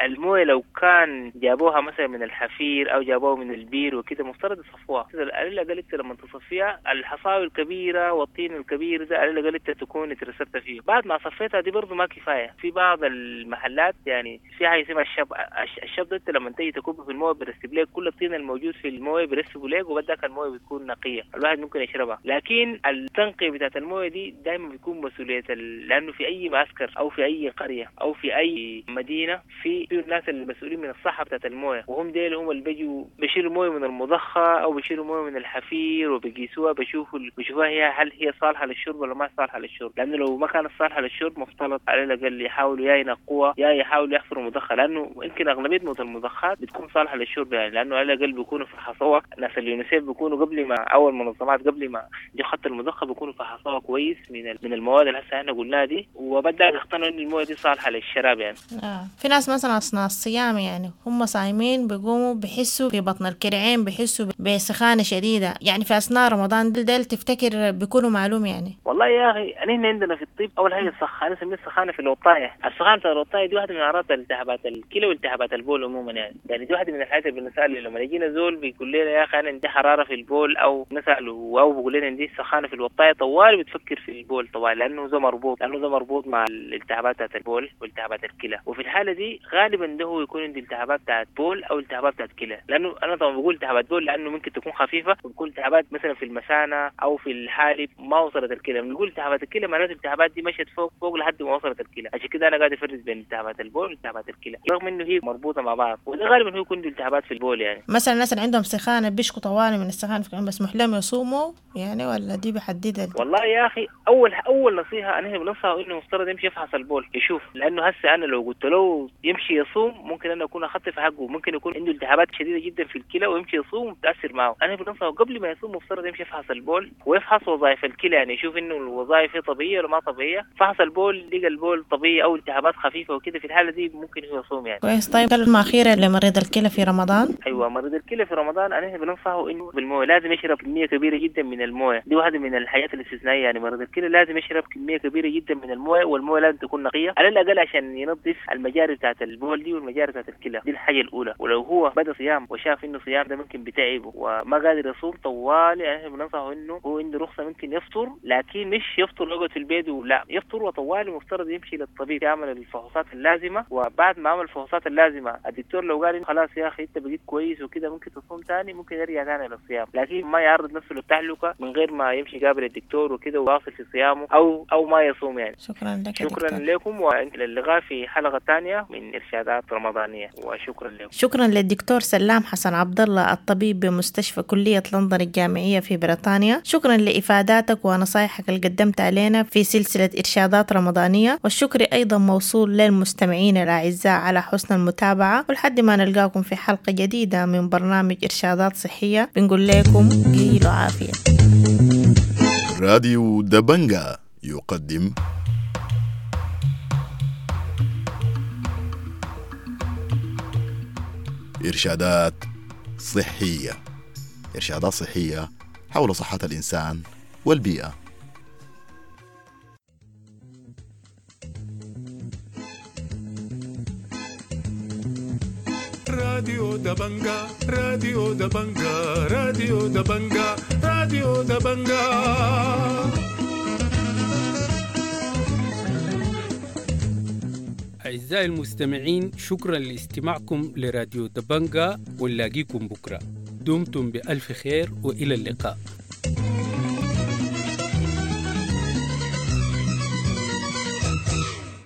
المويه لو كان جابوها مثلا من الحفير او جابوه من البير وكده مفترض يصفوها. على الاقل انت لما تصفيها الحصاوي الكبيرة والطين الكبير ده على الاقل انت تكون اترسبت فيه. بعد ما صفيتها دي برضه ما كفاية، في بعض المحلات يعني في حاجة اسمها الشب، الشب ده انت لما تيجي تكب في المويه بيرسب لك كل الطين الموجود في المويه بيرسبه لك، وبدك المويه بتكون نقية الواحد ممكن يشربها. لكن التنقية بتاعت المويه دي دائما بيكون مسؤولية، لانه في اي معسكر او في اي قرية او في اي مدينة في الناس المسؤولين من الصحة بتاعت المويه، وهم ديل هم اللي بيجوا بيشيلوا مويه من المضخه او بيشيلوا مويه من الحفير وبيقيسوها، بيشوفوها هي هل هي صالحه للشرب ولا ما صالحه للشرب. لانه لو ما كانت صالحه للشرب مفترض على الاقل يحاولوا يا ينقوها يا يحاولوا يحفروا مضخه، لانه يمكن اغلبية المضخات بتكون صالحه للشرب، يعني لانه على الاقل بيكونوا فحصوها ناس اليونيسيف، بيكونوا قبل ما اول منظمات قبل ما دي خط المضخه بيكونوا فحصوها كويس من المواد اللي هسه احنا قلناها دي، وبدا يقتنعوا ان المويه دي صالحه للشراب. يعني في ناس مثلا اثناء الصيام يعني هم صايمين بيقوموا بيحسوا في بطن الكرعين، بيحسوا بسخانة شديدة، يعني في أثناء رمضان ديل تفتكر بيكونوا معلوم يعني؟ والله يا أخي نحن عندنا في الطب أول حاجة السخانة، نسميها السخانة في الوطاية. السخانة في الوطاية دي واحدة من أعراض التهابات الكلى والتهابات البول عموما، يعني دي واحدة من الحاجات اللي بنسأل لما يجينا زول بيقول لنا يا أخي أنا عندي حرارة في البول، أو نسأله أو بيقول لنا عندي سخانة في الوطاية، طوال بتفكر في البول طوال، لأنه ده مربوط مع الالتهابات بتاعت البول والتهابات الكلى. وفي الحالة دي غالبا ده هو يكون عندي التهابات بتاعت بول أو التهابات بتاعت كلى، لأنه أنا طبعا بقول التهابات بول لأنه ممكن تكون خفيفة وبكون التهابات مثلا في المثانة أو في الحالب ما وصلت الكلى. بنقول التهابات الكلى معناته جاته التهابات دي مشت فوق فوق لحد ما وصلت الكلى. عشان كده انا قاعد افرز بين التهابات البول والتهابات الكلى، رغم انه هي مربوطة مع بعض، وده غالبا هو يكون عنده التهابات في البول يعني. مثلا الناس اللي عندهم سخانة بيشكوا طوالي من السخانة، مسموح لهم يصوموا يعني ولا دي بحددها؟ والله يا اخي اول نصيحة انا بنصحه انه مفترض يمشي يفحص البول يشوف، لانه هسه انا لو قلت له يمشي يصوم ممكن انا اكون اخطي في حقه، ممكن يكون عنده التهابات شديدة جدا في الكلى ويمشي يصوم وتاثر معه. انا بنصحه قبل ما يصوم مفترض يمشي يفحص البول ويفحص وظائف الكلى، يعني يشوف انه الوظائف هي طبيعية ولا ما طبيعية. فحص البول لقى البول طبيعي او التهابات خفيفة وكده، في الحالة دي ممكن هو يصوم يعني. كويس. طيب كلمة اخيرة لمريض الكلى في رمضان. ايوه، مريض الكلى في رمضان انا بنصحه انه بالمويه لازم يشرب كمية كبيرة جدا من المويه، دي واحدة من الحاجات الاستثنائية يعني. مريض الكلى لازم يشرب كمية كبيرة جدا من المويه، والمويه لازم تكون نقية على الاقل عشان ينظف المجاري بتاعت البول دي والمجاري بتاعت الكلى، دي الحاجة الاولى. ولو هو بدا صيام وشاف انه صيام ده ممكن بتعبه وما قادر يصوم طوالي، يعني بننصحه انه هو عنده رخصه ممكن يفطر، لكن مش يفطر ويقعد في البيت، ولا يفطر وطوالي مفترض يمشي للطبيب يعمل الفحوصات اللازمة. وبعد ما عمل الفحوصات اللازمة الدكتور لو قال خلاص يا اخي انت بقيت كويس وكده ممكن تصوم ثاني، ممكن يرجع ثاني للصيام، لكن ما يعرض نفسه للتهلكه من غير ما يمشي يقابل الدكتور وكده ويواصل في صيامه او ما يصوم يعني. شكرا لك. شكرا لكم، والى اللقاء في حلقة ثانية من ارشادات رمضانيه، وشكرا لكم. شكرا للدكتور سلام حسن عبد الله الطبيب بمستشفى كليه لندن الجامعية في بريطانيا، شكرا لافاداتك ونصائحك اللي قدمت علينا في سلسلة ارشادات رمضانيه، والشكر ايضا موصول للمستمعين الاعزاء على حسن المتابعة، ولحد ما نلقاكم في حلقة جديدة من برنامج ارشادات صحية بنقول لكم قيلوا عافية. راديو دبنجا يقدم إرشادات صحية، إرشادات صحية حول صحة الإنسان والبيئة. راديو دبنجا، راديو دبنجا، راديو دبنجا، راديو دبنجا. أعزائي المستمعين، شكرا لاستماعكم لراديو دبنجا، ونلاقيكم بكرة. دمتم بألف خير وإلى اللقاء.